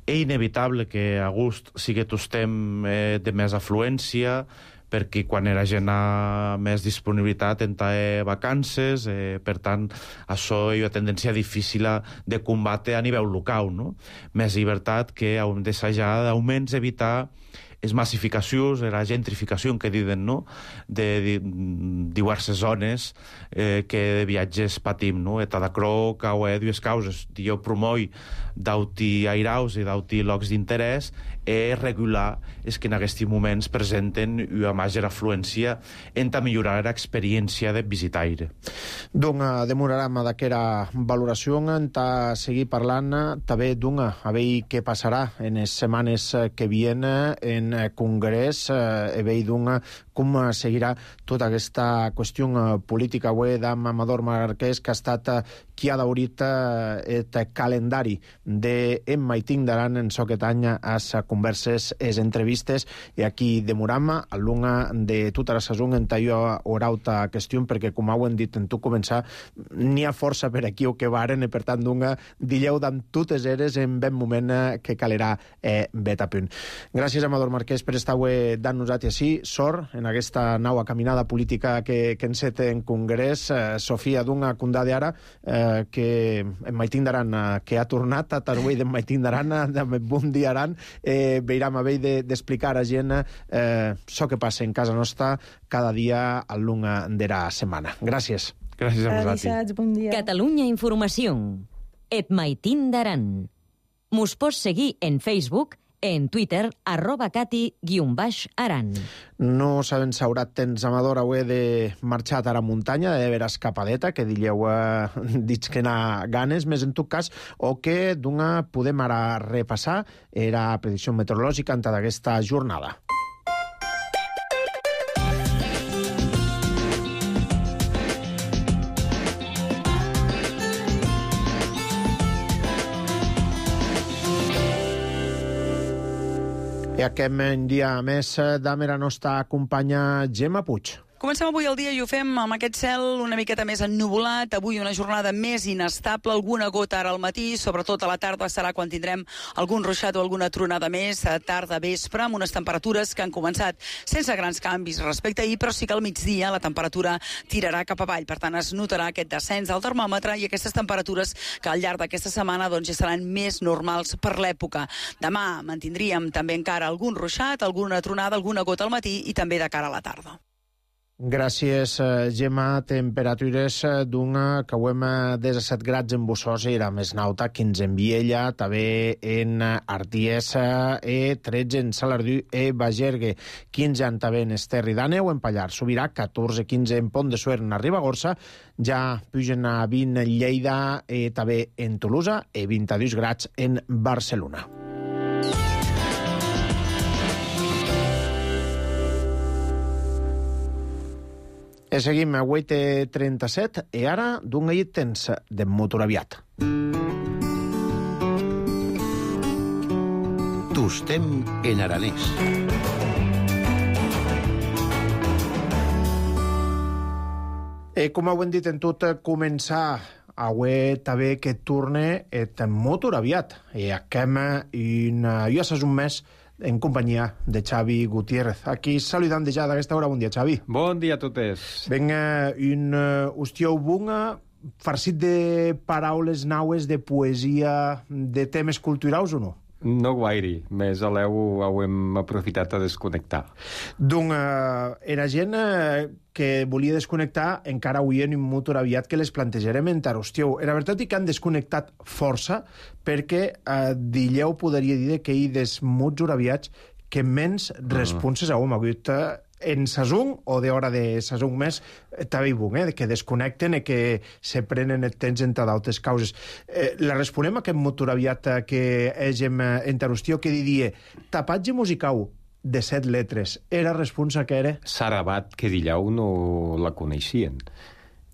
Speaker 6: És inevitable que a agost sigui tostem eh, de més afluència, perquè quan la gent ha més disponibilitat en té vacances, eh, per tant, això hi ha una tendència difícil de combatre a nivell local, no? Més llibertat que hem d'assajar d'augments evitar es massificacions, era gentrificació que diuen, no?, de, de diverses zones eh, que de viatges patim, no? E tadacrò cau e dues causes. Jo promoi d'auti airaus i d'auti llocs d'interès e regular és que en aquests moments presenten una major afluència en ta millorar l'experiència de visitaire.
Speaker 1: Doncs demorarem d'aquera valoració en ta seguir parlant també d'una, a veure què passarà en les setmanes que vienen en Congrés, a veure d'una com seguirà tota aquesta qüestió política avui d'en Amador Marquès, que ha estat qui ha daurit el calendari d'en Maitín d'Aran en soquet any a converses, les entrevistes, i aquí demoram a l'una de tota la saison en tallo orauta qüestió, perquè com ho hem dit en tu començar, n'hi ha força per aquí o que varen, i per tant d'una dilleu d'en totes eres en ben moment que calerà eh, bet a punt. Gràcies, Amador Marquès, per estar avui dant nosaltres així, sort en aquesta nova caminada política que, que enceta en Congrés. Eh, Sofia, d'una condada ara, eh, que en Maitín d'Aran, eh, que ha tornat a Tarwei d'en Maitín d'Aran, de bon dia Aran, eh, veiram a veure d'explicar a gent eh, això que passa en casa nostra cada dia a l'una de la setmana. Gràcies.
Speaker 6: Gràcies a vosaltres.
Speaker 3: Bon dia.
Speaker 2: Catalunya Informació. Et Maitín d'Aran. Mos pots seguir en Facebook, en Twitter, arroba cati guion baix aran.
Speaker 1: No sabem si haurà temps, Amador, avui de marxar a la muntanya, de veure escapadeta, que dilleu eh, dits que n'ha ganes, més en tot cas, o que d'una podem ara repassar era predicció meteorològica en tota aquesta jornada. I aquest dia més d'Amer a nostra companya Gemma Puig.
Speaker 7: Comencem avui el dia i ho fem amb aquest cel una miqueta més ennuvolat. Avui una jornada més inestable, alguna gota ara al matí, sobretot a la tarda serà quan tindrem algun ruixat o alguna tronada més, a tarda, vespre, amb unes temperatures que han començat sense grans canvis respecte a ahir, però sí que al migdia la temperatura tirarà cap avall. Per tant, es notarà aquest descens del termòmetre i aquestes temperatures que al llarg d'aquesta setmana doncs, ja seran més normals per l'època. Demà mantindríem també encara algun ruixat, alguna tronada, alguna gota al matí i també de cara a la tarda.
Speaker 1: Gràcies, Gemma. Temperatures d'una que ho hem disset grads en Bussosa, era més nauta, quinze en Viella, també en Arties, e tretze en Salardú e Bagergue, quinze en també en Esterri d'Àneu, en Pallar Sobirà, catorze quinze en Pont de Suert, en Ribagorça, ja pugen a vint en Lleida, e també en Tolosa, e vint-i-dos grads en Barcelona. E seguim a vuit i trenta-set e ara d'un gallet tens de motor aviat.
Speaker 5: Tostem en aranès.
Speaker 1: E com ho hem dit en tot començar, avui també que torne et motor aviat. E achem un, jo saps un mes en companyia de Xavi Gutiérrez. Aquí saludant ja d'aquesta hora. Bon dia, Xavi.
Speaker 8: Bon dia a totes.
Speaker 1: Venga, un uh, hostiau bunga farcit de paraules naues, de poesia, de temes culturals o no?
Speaker 8: No gaire, més aleu ho hem aprofitat a desconnectar.
Speaker 1: Doncs uh, era gent uh, que volia desconnectar, encara avui en un motor aviat que les plantejarem en Tarostieu. Era veritat que han desconnectat força, perquè uh, dilleu podria dir que hi des mots aviats que menys responses a hom hagut uh, en sasung o d'hora de sasung més també hi bon, eh, que desconnecten i que se prenen el temps entre d'altres causes. Eh, la responem a aquest motor aviat que hegem en Tarostieu, que diria tapatge musical de set letres. Era responsa que era?
Speaker 8: Sarabat, que dillau no la coneixien.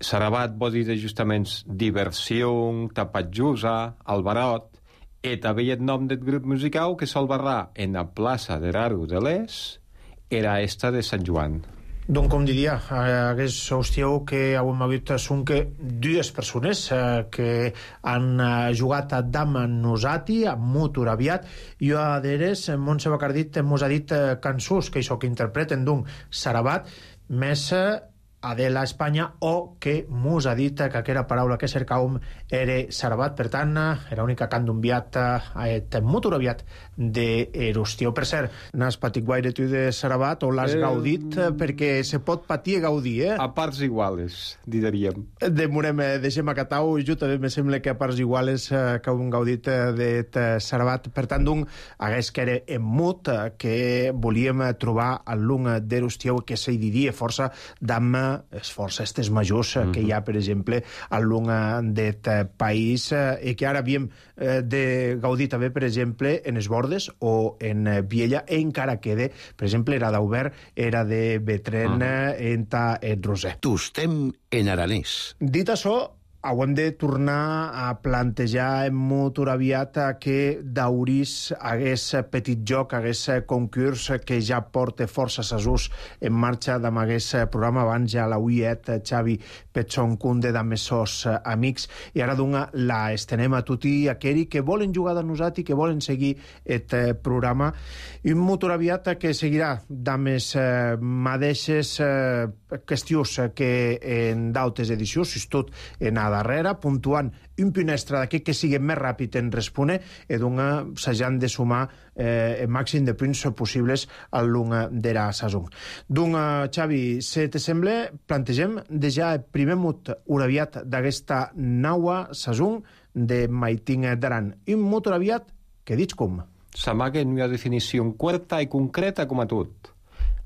Speaker 8: Sarabat vol dir justament diversió, tapatjusa, albarot, i també el nom del grup musical que sol barrar en la plaça de Raro de l'Es era esta de Sant Joan.
Speaker 1: Doncs com diria, hagués hostieu que heu hagut són que dues persones eh, que han eh, jugat a Dama Nosati, a Motor aviat, i a d'eres, Montse Bacardit mos ha dit eh, cançons que això que interpreten d'un Sarabat, més eh, Adela Espanya, o que mos ha dit que aquella paraula que cercàvem era Sarabat. Per tant, era l'única que han d'enviat a et motor aviat d'Erustió. Per cert, n'has patit guaire tu de Sarabat o l'has eh, gaudit? Perquè se pot patir i gaudir, eh?
Speaker 8: A parts iguales, diríem.
Speaker 1: Demorem, deixem a Catau, i jo també me sembla que a parts iguales eh, que hem gaudit de Sarabat. Per tant, d'un, hagués que era en mut, que volíem trobar a l'un d'Erustió que se diria força d'am es força estes majors mm -hmm. que hi ha, per exemple, a l'un d'aquest país i que ara havíem de gaudir també, per exemple, en es Bordes o en Viella, e encara quede, per exemple, era d'Aubert, era de Betren, mm. enta et Roser.
Speaker 5: Tostem en aranès.
Speaker 1: Dit això, haurem de tornar a plantejar en molt aviat que d'Aurís hagués petit joc, hagués concurs que ja porta força sasús en marxa d'am hagués programa abans ja la uiet Xavi Petson Cunde d'am sos amics, i ara d'una la estenem a tutti aquells que volen jugar de nosaltres i que volen seguir aquest programa, i un molt aviat que seguirà d'am les mateixes qüestions que en d'altres edicions, si tot en a darrere, puntuant un punt extra d'aquest que sigui més ràpid en respondre, i d'una s'hagin de sumar eh, el màxim de punts possibles al lunga de la saison. D'una, Xavi, si te sembla, plantegem de ja el primer mot uraviat d'aquesta naua saison de Maitin d'Aran. Un mot uraviat que dits com?
Speaker 8: S'amaga en una definició curta i concreta com a tot.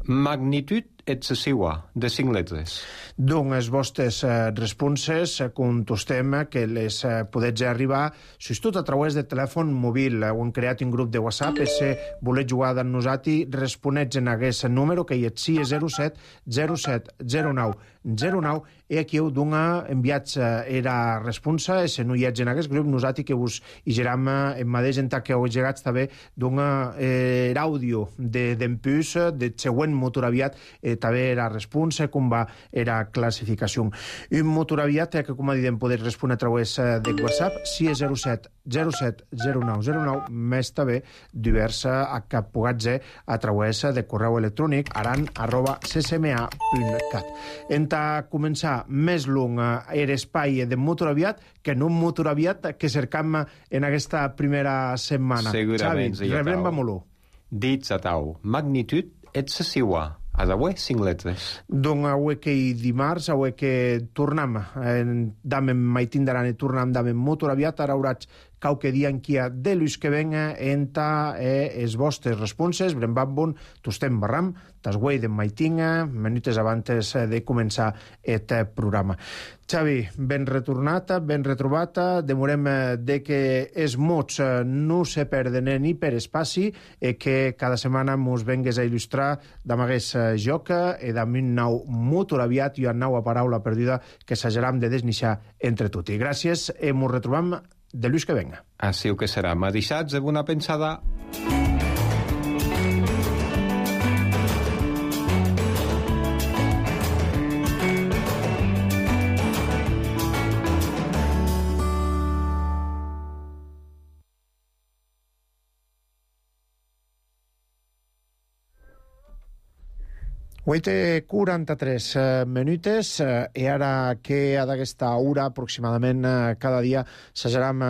Speaker 8: Magnitud excessiva, de cinc letres.
Speaker 1: Doncs les vostres eh, responses eh, contestem que les eh, podets arribar, si és tot a través de telèfon mòbil. Heu creat un grup de WhatsApp, i si voleu jugar amb nosaltres, responets en aquest número, que hi és sí zero set zero set zero nou zero nou, i aquí heu d'una enviats eh, era responsa, i si no hi ets en aquest grup, nosaltres que us hi geram eh, en mateix en que heu llegats també d'una eh, àudio d'empús de, del següent motor aviat, eh, també era responsa, com va era classificació. Un motor aviat que, com a dit, podeu respondre a través de WhatsApp, si és zero set zero set zero nou zero nou, més també diversa a que pugueu ser a través de correu electrònic aran arroba c c m a punt cat. Enta començar més long era espai de motor aviat que no un motor aviat que cercam en aquesta primera setmana.
Speaker 8: Segurament,
Speaker 1: Xavi, rebrem molt.
Speaker 8: Dits a tau, magnitud excessiva. A d'avui, cinc letres.
Speaker 1: Donc, avui que dimarts, avui que tornem d'am en Maitin d'Aran i tornem d'am en motor aviat, ara hauràs qualque dia en kia de l'ús que venga enta eh, es vostres responses, brembambon, tostem barram, tas guai de Maitinga, minutes abans de començar aquest programa. Xavi, ben retornat, ben retrobat, demorem de que els mots no se perden ni per espaci i que cada setmana mos vengues a il·lustrar d'am hagués joc i d'am un nou motor aviat i una nova paraula perduda que s'hageram de desnixar entre tots. I gràcies i mos retrobam de l'ús que venga.
Speaker 8: Així que serà. M'ha deixat de bona pensada.
Speaker 1: vuit i quaranta-tres minutes i ara que d'aquesta hora aproximadament cada dia s'ageram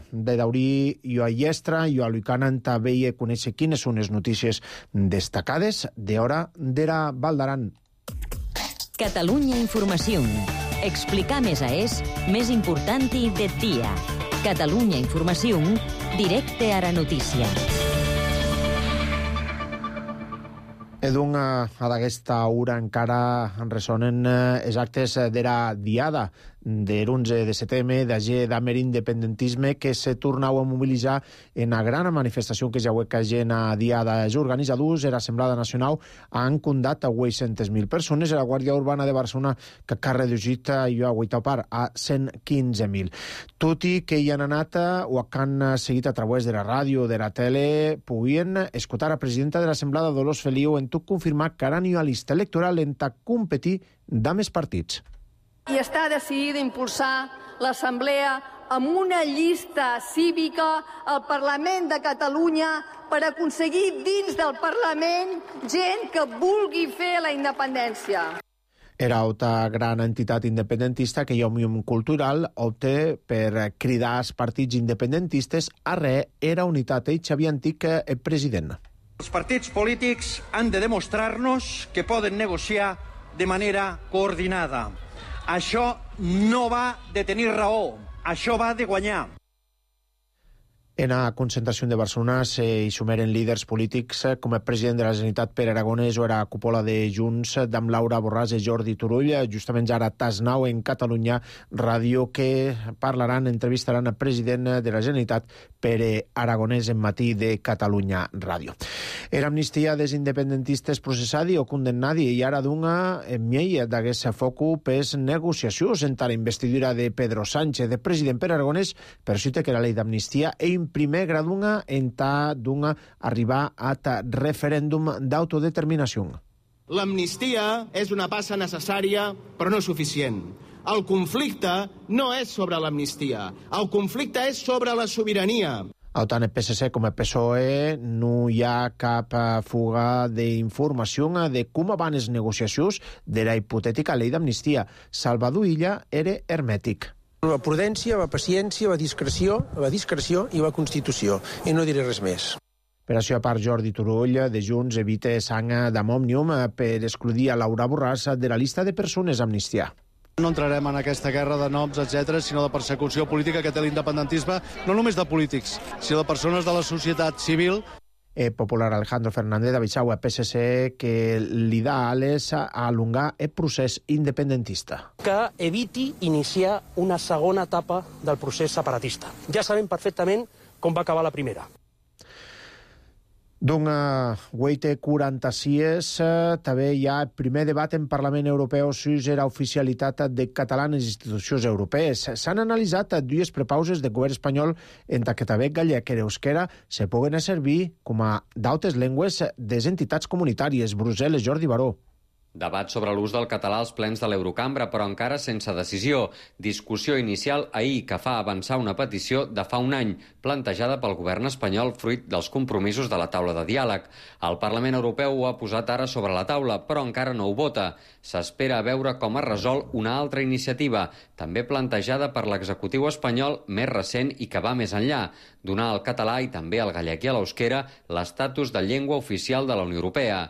Speaker 1: de daurí jo a Iestra, jo a Lucanan també i conèixer quines són les notícies destacades d'hora d'era Val d'Aran.
Speaker 2: Catalunya Informació. Explicar més a és més important i de dia. Catalunya Informació, directe a la notícia.
Speaker 1: Edun, a d'aquesta hora encara ressonen els actes d'era diada de l'onze de setembre, d'agir d'amer independentisme que se tornau a mobilitzar en la gran manifestació que ja que gent a diada. Els organitzadors de l'Assemblea Nacional han condat a vuit-centes mil persones i la Guàrdia Urbana de Barcelona que ha reduït i ha guaitapar a cent quinze mil. Tot i que hi han anat o que han seguit a través de la ràdio o de la tele, podien escoltar a la presidenta de l'Assemblea, Dolors Feliu, en tot confirmar que ara n'hi ha llista electoral en ta competir d'am els partits.
Speaker 9: I està decidida a impulsar l'Assemblea amb una llista cívica al Parlament de Catalunya per aconseguir dins del Parlament gent que vulgui fer la independència.
Speaker 1: Era altra gran entitat independentista que Òmnium Cultural opta per cridar els partits independentistes a re era unitat. Ell, Xavier Antic, el president.
Speaker 10: Els partits polítics han de demostrar-nos que poden negociar de manera coordinada. Això no va de tenir raó, això va de guanyar.
Speaker 1: En la concentració de Barcelona s'hi sumeren líders polítics com el president de la Generalitat, Pere Aragonès, o era cúpula de Junts, d'am Laura Borràs i Jordi Turull. Justament ara Tas nou en Catalunya Ràdio, que parlaran, entrevistaran el president de la Generalitat, Pere Aragonès, en Matí de Catalunya Ràdio. Era amnistia dels independentistes processadi o condemnadi i ara d'una miei d'aquest focu pes negociacions entre la investidura de Pedro Sánchez, de president Pere Aragonès, per cita que la llei d'amnistia e primer gradunga en ta d'una arribar a ta referèndum d'autodeterminació.
Speaker 11: L'amnistia és una passa necessària, però no suficient. El conflicte no és sobre l'amnistia, el conflicte és sobre la sobirania.
Speaker 1: Tant el P S C com el P S O E no hi ha cap fuga d'informació de com van les negociacions de la hipotètica llei d'amnistia. Salvador Illa era hermètic.
Speaker 12: Va prudència, va paciència, va discreció, va discreció i va constitució. I no diré res més.
Speaker 1: Per això, a part, Jordi Turull, de Junts, evita sang d'Òmnium per excluir a Laura Borràs de la llista de persones a amnistiar.
Speaker 13: No entrarem en aquesta guerra de noms, etcètera, sinó de persecució política que té l'independentisme, no només de polítics, sinó de persones de la societat civil.
Speaker 1: El popular Alejandro Fernández avisau a P S C que l'ideal és alongar el procés independentista.
Speaker 12: Que eviti iniciar una segona etapa del procés separatista. Ja sabem perfectament com va acabar la primera.
Speaker 1: D'una hueite quaranta-sis, també hi ha el primer debat en Parlament Europeu sobre la oficialitat de català en les institucions europees. S'han analitzat dues prepauses de govern espanyol entre que també gallec i euskera se puguen servir com a d'altres llengües des entitats comunitàries. Brussel·les, Jordi Baró.
Speaker 14: Debat sobre l'ús del català als plens de l'Eurocambra, però encara sense decisió. Discussió inicial ahir que fa avançar una petició de fa un any, plantejada pel govern espanyol fruit dels compromisos de la taula de diàleg. El Parlament Europeu ho ha posat ara sobre la taula, però encara no ho vota. S'espera a veure com es resol una altra iniciativa, també plantejada per l'executiu espanyol més recent i que va més enllà, donar al català i també al gallec i a l'euskera l'estatus de llengua oficial de la Unió Europea.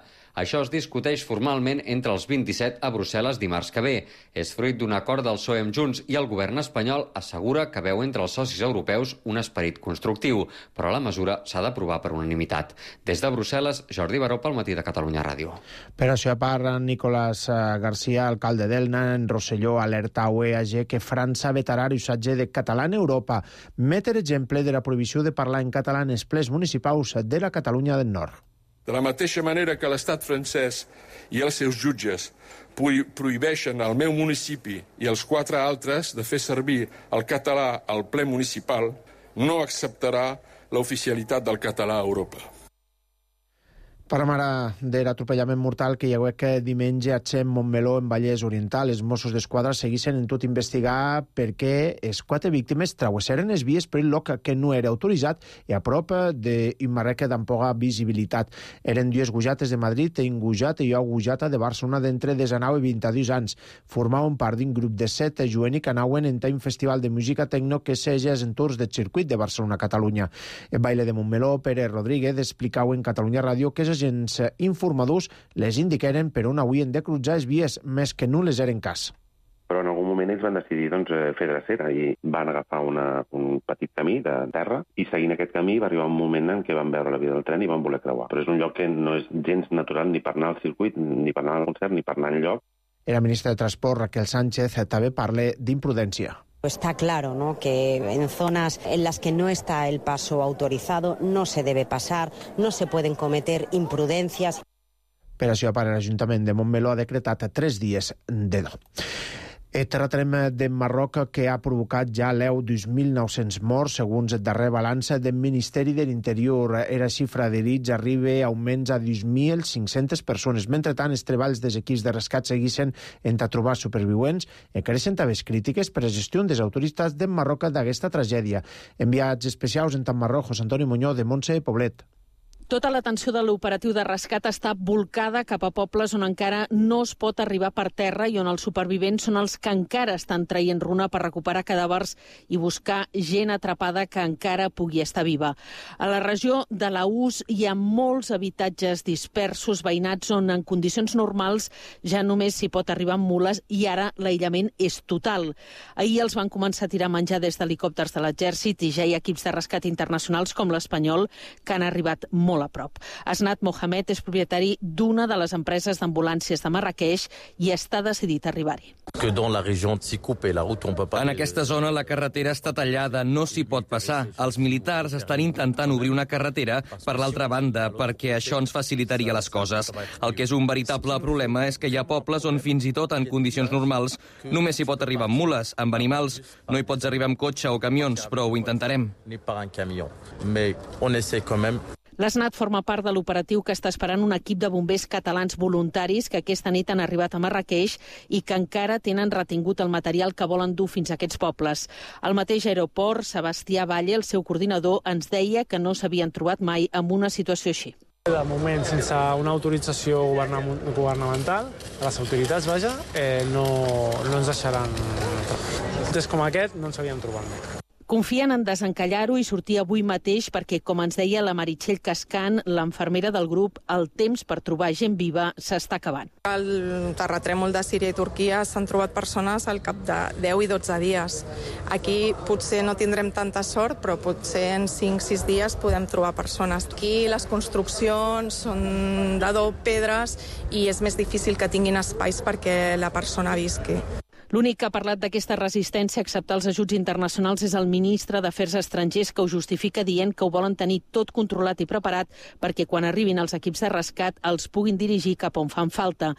Speaker 14: Això es discuteix formalment entre els vint-i-set a Brussel·les dimarts que ve. És fruit d'un acord del P S O E amb Junts i el govern espanyol assegura que veu entre els socis europeus un esperit constructiu, però la mesura s'ha d'aprovar per unanimitat. Des de Brussel·les, Jordi Baró pel Matí de Catalunya Ràdio.
Speaker 1: Per això, a part, Nicolás García, alcalde d'Elna, en Rosselló, alerta a U E A G que França vetarà l'usatge de català en Europa. Meter exemple de la prohibició de parlar en català en els plens municipals de la Catalunya del Nord.
Speaker 15: De la mateixa manera que l'estat francès i els seus jutges prohibeixen al meu municipi i als quatre altres de fer servir el català al ple municipal, no acceptarà l'oficialitat del català a Europa.
Speaker 1: Parlem ara de l'atropellament mortal que hi ha hagut diumenge a Xem, Montmeló, en Vallès Oriental. Els Mossos d'Esquadra segueixen en tot investigar perquè les quatre víctimes travessaren les vies per el lloc que no era autoritzat i a prop d'un marreca d'ampoga visibilitat. Eren dues gujates de Madrid i un gujat i una gujata de Barcelona d'entre desenau i vint-i-dos anys. Formaven part d'un grup de set jueni que anaven en un festival de música tecno que seja als entorns del circuit de Barcelona-Catalunya. El baile de Montmeló, Pere Rodríguez, explicau en Catalunya Ràdio que els agents informadors les indiqueren per on havien de cruzar les vies, més que no les eren cas.
Speaker 16: Però en algun moment ells van decidir doncs, fer drecera i van agafar una, un petit camí de terra i seguint aquest camí va arribar un moment en què van veure la via del tren i van voler creuar. Però és un lloc que no és gens natural ni per anar al circuit, ni per anar al concert, ni per anar enlloc.
Speaker 1: La ministra de Transport, Raquel Sánchez, també parla d'imprudència.
Speaker 17: Está claro, ¿no?, que en zonas en las que no está el paso autorizado no se debe pasar, no se pueden cometer imprudencias.
Speaker 1: Per això, per l'Ajuntament de Montmeló ha decretat tres dies de do. El terratrèmol de Marroc que ha provocat ja l'eu dos mil nou-cents morts, segons el darrer balanç del Ministeri de l'Interior. Era xifra d'herits arriba a almenys a dos mil cinc-centes persones. Mentrestant, els treballs dels equips de rescat segueixen entre trobar supervivents i creixen també crítiques per la gestió dels autoritats de Marroc d'aquesta tragèdia. Enviats especials en Tammarroc, José Antonio Muñoz, de Montse Poblet.
Speaker 18: Tota l'atenció de l'operatiu de rescat està volcada cap a pobles on encara no es pot arribar per terra i on els supervivents són els que encara estan traient runa per recuperar cadàvers i buscar gent atrapada que encara pugui estar viva. A la regió de l'Aús hi ha molts habitatges dispersos, veïnats on en condicions normals ja només s'hi pot arribar amb mules i ara l'aïllament és total. Ahir els van començar a tirar menjar des d'helicòpters de l'exèrcit i ja hi ha equips de rescat internacionals com l'Espanyol que han arribat molt a prop. Asnat Mohamed és propietari d'una de les empreses d'ambulàncies de Marrakeix i està decidit a arribar-hi.
Speaker 19: En aquesta zona la carretera està tallada, no s'hi pot passar. Els militars estan intentant obrir una carretera per l'altra banda perquè això ens facilitaria les coses. El que és un veritable problema és que hi ha pobles on fins i tot en condicions normals només s'hi pot arribar amb mules, amb animals. No hi pots arribar amb cotxe o camions, però ho intentarem.
Speaker 18: L'Asnat forma part de l'operatiu que està esperant un equip de bombers catalans voluntaris que aquesta nit han arribat a Marrakeix i que encara tenen retingut el material que volen dur fins a aquests pobles. Al mateix aeroport, Sebastià Valle, el seu coordinador, ens deia que no s'havien trobat mai amb una situació així.
Speaker 20: De moment, sense una autorització governamental, les autoritats, vaja, eh, no, no ens deixaran. Des com aquest no ens havíem trobat mai.
Speaker 18: Confien en desencallar-ho i sortir avui mateix perquè, com ens deia la Meritxell Cascan, l'infermera del grup, el temps per trobar gent viva s'està acabant.
Speaker 21: Al terratrèmol de Síria i Turquia s'han trobat persones al cap de deu i dotze dies. Aquí potser no tindrem tanta sort, però potser en cinc sis dies podem trobar persones. Aquí les construccions són d'adob, pedres, i és més difícil que tinguin espais perquè la persona visqui.
Speaker 18: L'únic que ha parlat d'aquesta resistència a acceptar els ajuts internacionals és el ministre d'Afers Estrangers, que ho justifica dient que ho volen tenir tot controlat i preparat perquè quan arribin els equips de rescat els puguin dirigir cap on fan falta.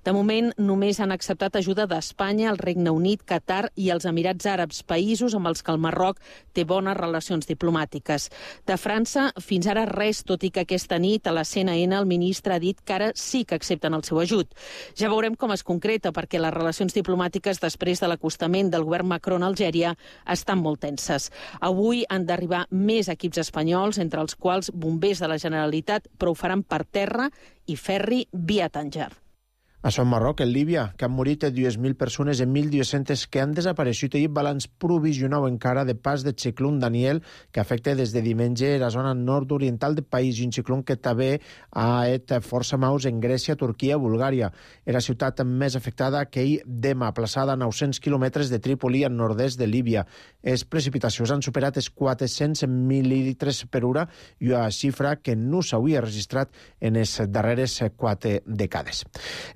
Speaker 18: De moment, només han acceptat ajuda d'Espanya, el Regne Unit, Qatar i els Emirats Àrabs, països amb els que el Marroc té bones relacions diplomàtiques. De França, fins ara res, tot i que aquesta nit a la C N N el ministre ha dit que ara sí que accepten el seu ajut. Ja veurem com es concreta, perquè les relacions diplomàtiques després de l'acostament del govern Macron a Algèria estan molt tenses. Avui han d'arribar més equips espanyols, entre els quals bombers de la Generalitat, però ho faran per terra i ferri via Tànger.
Speaker 1: Això en Marroc, en Líbia, que han morit dues mil persones i mil dues-centes que han desapareixut. Ahir balanç provisional encara de pas de ciclón Daniel, que afecta des de diumenge la zona nord-oriental del país, i un ciclón que també ha et força maus en Grècia, Turquia, Bulgària. Era la ciutat més afectada que ahir Dema, plaçada a nou-cents quilòmetres de Trípoli, al nord-est de Líbia. Les precipitacions han superat els quatre-cents mil·lilitres per hora i una xifra que no s'havia registrat en les darreres quatre dècades.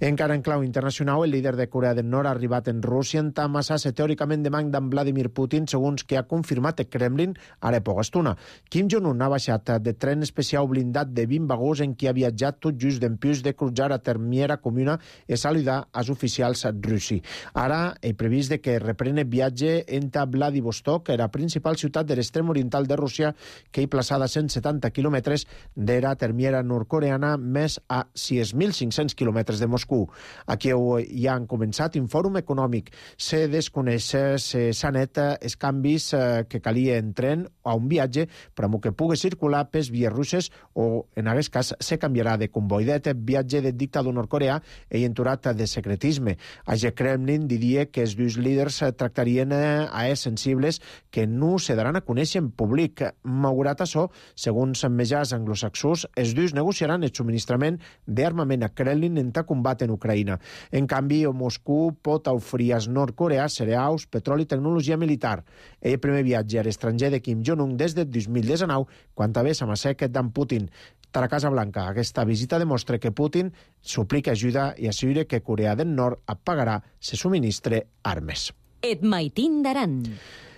Speaker 1: En Encara en clau internacional, el líder de Corea del Nord ha arribat en Rússia en amassar-se teòricament de manc d'en Vladimir Putin, segons que ha confirmat el Kremlin ara poca estona. Kim Jong-un ha baixat de tren especial blindat de vint vagons en què ha viatjat tot just d'empús de cruzar a Termiera Comuna i saludar als oficials russi. Ara he previst de que reprene viatge entre Vladivostok, la principal ciutat de l'extrem oriental de Rússia, que hi plaçada a cent setanta quilòmetres de la Termiera nord-coreana, més a sis mil cinc-cents quilòmetres de Moscou. Aquí ja han començat un fòrum econòmic. Se desconeix, s'han net els canvis que calia en tren a un viatge per a que pugui circular pels vies russes o, en aquest cas, se canviarà de comboi. D'aquest viatge del dictador nord-coreà he enturat de secretisme. A Kremlin diria que els dos líders tractarien a els sensibles que no se daran a conèixer en públic. Malgrat això, segons mitjans anglosaxons, els dos negociaran el subministrament d'armament a Kremlin en combat en Ucraïna. En canvi, Moscou pot oferir als nord-coreans cereals, petroli i tecnologia militar. El primer viatge a l'estranger de Kim Jong-un des del dos mil dinou, quan també s'amassec d'en Putin. A la Casa Blanca, aquesta visita demostra que Putin suplica ajuda i assegura que Corea del Nord pagarà se subministre armes.
Speaker 2: Et maitin d'aran.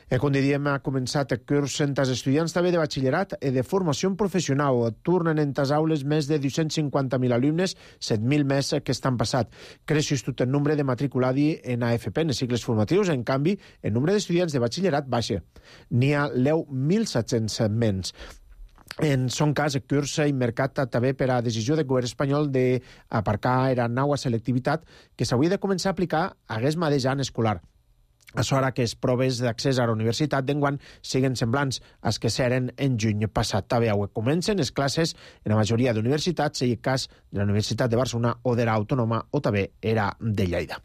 Speaker 1: Com diríem, ha començat el curs entre els estudiants també de batxillerat i de formació professional. Tornen en les aules més de dos-cents cinquanta mil alumnes, set mil més que estan passat. Creix tot el nombre de matriculats en A F P, en els cicles formatius. En canvi, el nombre d'estudiants de batxillerat baixa. N'hi ha deu mil set-cents menys. En son cas, el curs ha mercat també per a decisió del govern espanyol d'aparcar la nova selectivitat que s'hauria de començar a aplicar aquest mateix any escolar. a l'hora que les proves d'accés a la universitat d'enguany siguen semblants als que s'eren en juny passat. També avui comencen les classes en la majoria d'universitats, i el cas de la Universitat de Barcelona o de l'Autònoma o també era de Lleida.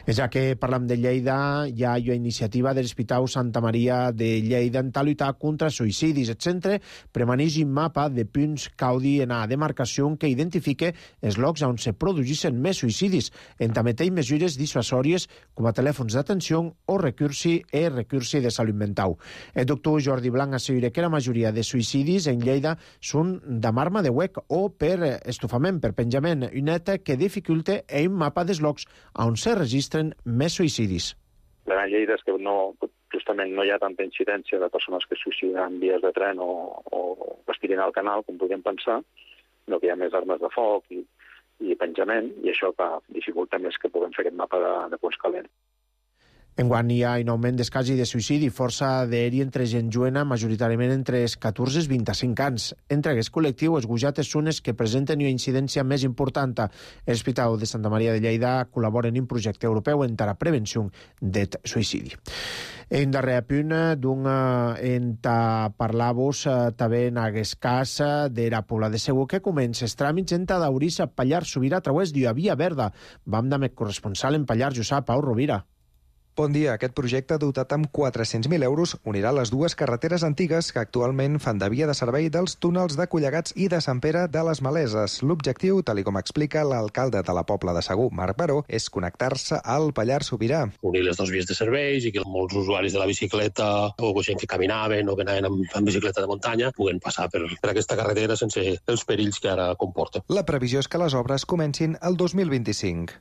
Speaker 1: Ja que parlam de Lleida, hi ha una iniciativa de l'Hospital Santa Maria de Lleida en tal lluitar contra suïcidis. El centre premaneix un mapa de punts caudi en la demarcació que identifique els llocs on se produïssin més suïcidis, en també té mesures dissuasòries com a telèfons d'atenció o recursi e recursi de salut mental. El doctor Jordi Blanc assegura que la majoria de suïcidis en Lleida són de marma de huec o per estofament, per penjament, un net que dificulta un mapa dels llocs on se registren més suïcidis.
Speaker 4: La gran Lleida és que no, justament no hi ha tanta incidència de persones que es suïciden en vies de tren o, o es tirin al canal, com podríem pensar, no que hi ha més armes de foc i, i penjament, i això que dificulta més que puguem fer aquest mapa de, de punts calents.
Speaker 1: Enguany hi ha un augment dels casos de suïcidi força d'aeri entre gent joena, majoritàriament entre els catorze i vint-i-cinc anys. Entre aquest col·lectiu, els gujates són els que presenten una incidència més important. L'Hospital de Santa Maria de Lleida col·labora en un projecte europeu en la prevenció del suïcidi. En darrer punt, d'un en parlar-vos també en aquest cas de la Pobla de Segur, que comença els tràmits en d'Aurissa a Pallar Sobirà a través d'una via verda. Vam amb el corresponsal en Pallar, Josep Pau Rovira.
Speaker 22: Bon dia. Aquest projecte, dotat amb quatre-cents mil euros, unirà les dues carreteres antigues que actualment fan de via de servei dels túnels de Collegats i de Sant Pere de les Maleses. L'objectiu, tal com explica l'alcalde de la Pobla de Segur, Marc Baró, és connectar-se al Pallars Sobirà.
Speaker 23: Unir les dues vies de serveis i que molts usuaris de la bicicleta o gent que caminaven o que anaven amb, amb bicicleta de muntanya puguen passar per, per aquesta carretera sense els perills que ara comporta.
Speaker 22: La previsió és que les obres comencin el dos mil vint-i-cinc.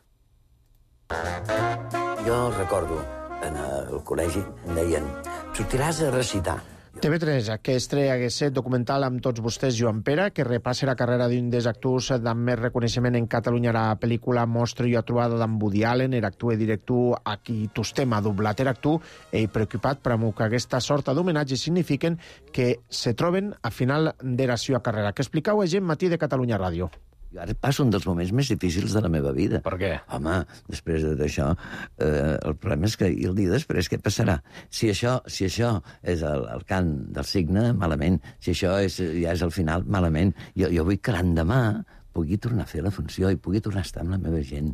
Speaker 24: Jo recordo, en el col·legi, em deien, sortiràs a recitar.
Speaker 1: T V tres, que estrella aquest documental amb tots vostès, Joan Pere, que repassa la carrera d'un dels actors amb més reconeixement en Catalunya. La pel·lícula mostra la trobada d'en Woody Allen, era actor i director a qui tostem a doblat era actor, i preocupat per que aquesta sorta d'homenatge signifiquen que se troben a final de la seva carrera. Que explicau a gent Matí de Catalunya Ràdio.
Speaker 24: Jo ara passo un dels moments més difícils de la meva vida.
Speaker 1: Per què?
Speaker 24: Home, després d'això, eh, el problema és que i el dia després què passarà? Si això, si això és el, el cant del cigne, malament. Si això és, ja és el final, malament. Jo, jo vull que l'endemà pugui tornar a fer la funció i pugui tornar a estar amb la meva gent.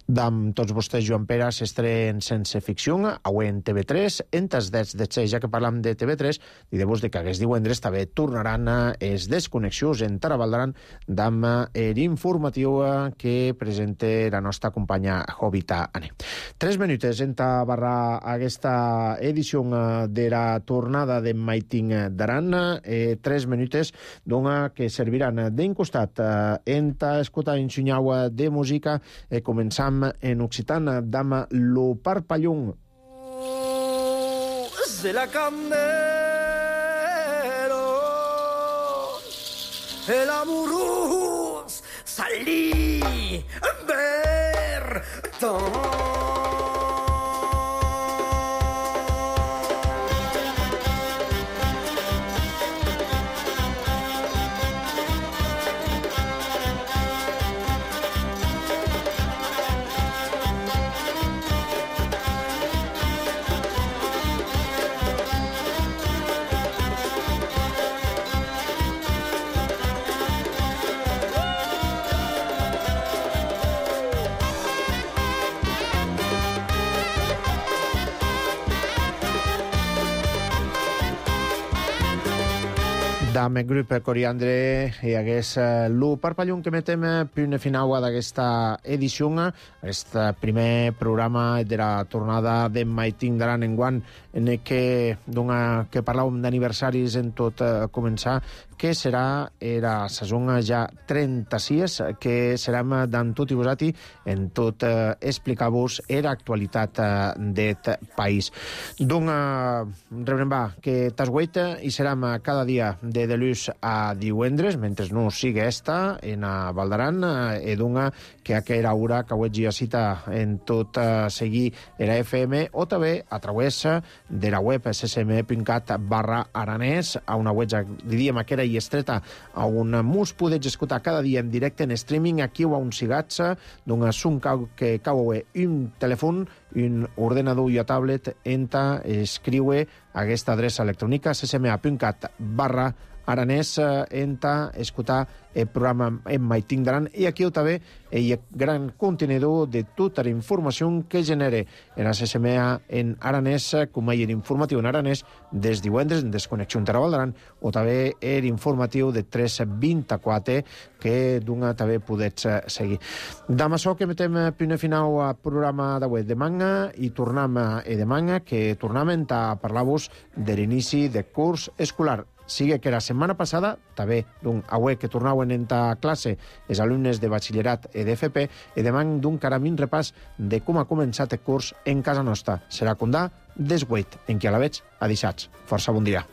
Speaker 1: D'amb tots vostès, Joan Pere, s'estrenen sense ficció, avui en T V tres, en tas dets de xe, ja que parlam de T V tres, i de vos de que aquest divendres també tornaran els desconnexions en Tarabaldaran d'amb l'informatiu que presenta la nostra companya Jovita Ane. Tres minutes en ta barra aquesta edició de la tornada de Maiting d'Aran, eh, tres minutes d'una que serviran d'un costat en ta escoltar en xunyau de música, eh, començant en occitana d'ama lo parpallón.
Speaker 25: Se la candelo el amorós salí ver
Speaker 1: D'am el grup Coriandre i hagués lo parpallón que metem punt final d'aquesta edició, aquest primer programa de la tornada de Maiting d'Aran enguany, en què, que parlàvem d'aniversaris en tot començar, que serà la saison ja trenta-sis, que serem d'en tot i vosati en tot eh, explicar-vos l'actualitat eh, del país. Doncs, rebrem va, que t'has guait i serem cada dia de delús a divendres, mentre no sigui esta, en a Valdaran, eh, doncs que aquella hora que avui ja cita en tot eh, seguir la F M o també a través de la web ssm punt cat barra aranès, a una web, diríem, que era i estreta a un mus podeig escoltar cada dia en directe en streaming aquí o a un sigats d'un assunt que cau un telèfon, un ordenador i a tablet enta escriure aquesta adreça electrònica ccma.cat barra aranès enta escoltar el programa en Maiting d'Aran i aquí també el gran contenidor de tota la informació que genere en la C S M A en aranès, com a informatiu en aranès des divendres en Desconnexió Interval d'Aran o també l'informatiu de tres vint-i-quatre que d'una també podets seguir. Damb això que metem punt final al programa d'avui de manga i tornem a demà que tornem a parlar-vos de l'inici de curs escolar. Sigue que la setmana passada, també d'un auè que tornaven en ta classe els alumnes de batxillerat i d'F P, i demà d'un caramín repàs de com ha començat el curs en casa nostra. Serà condà des vuit, en què a la veig a deixats. Força bon dia.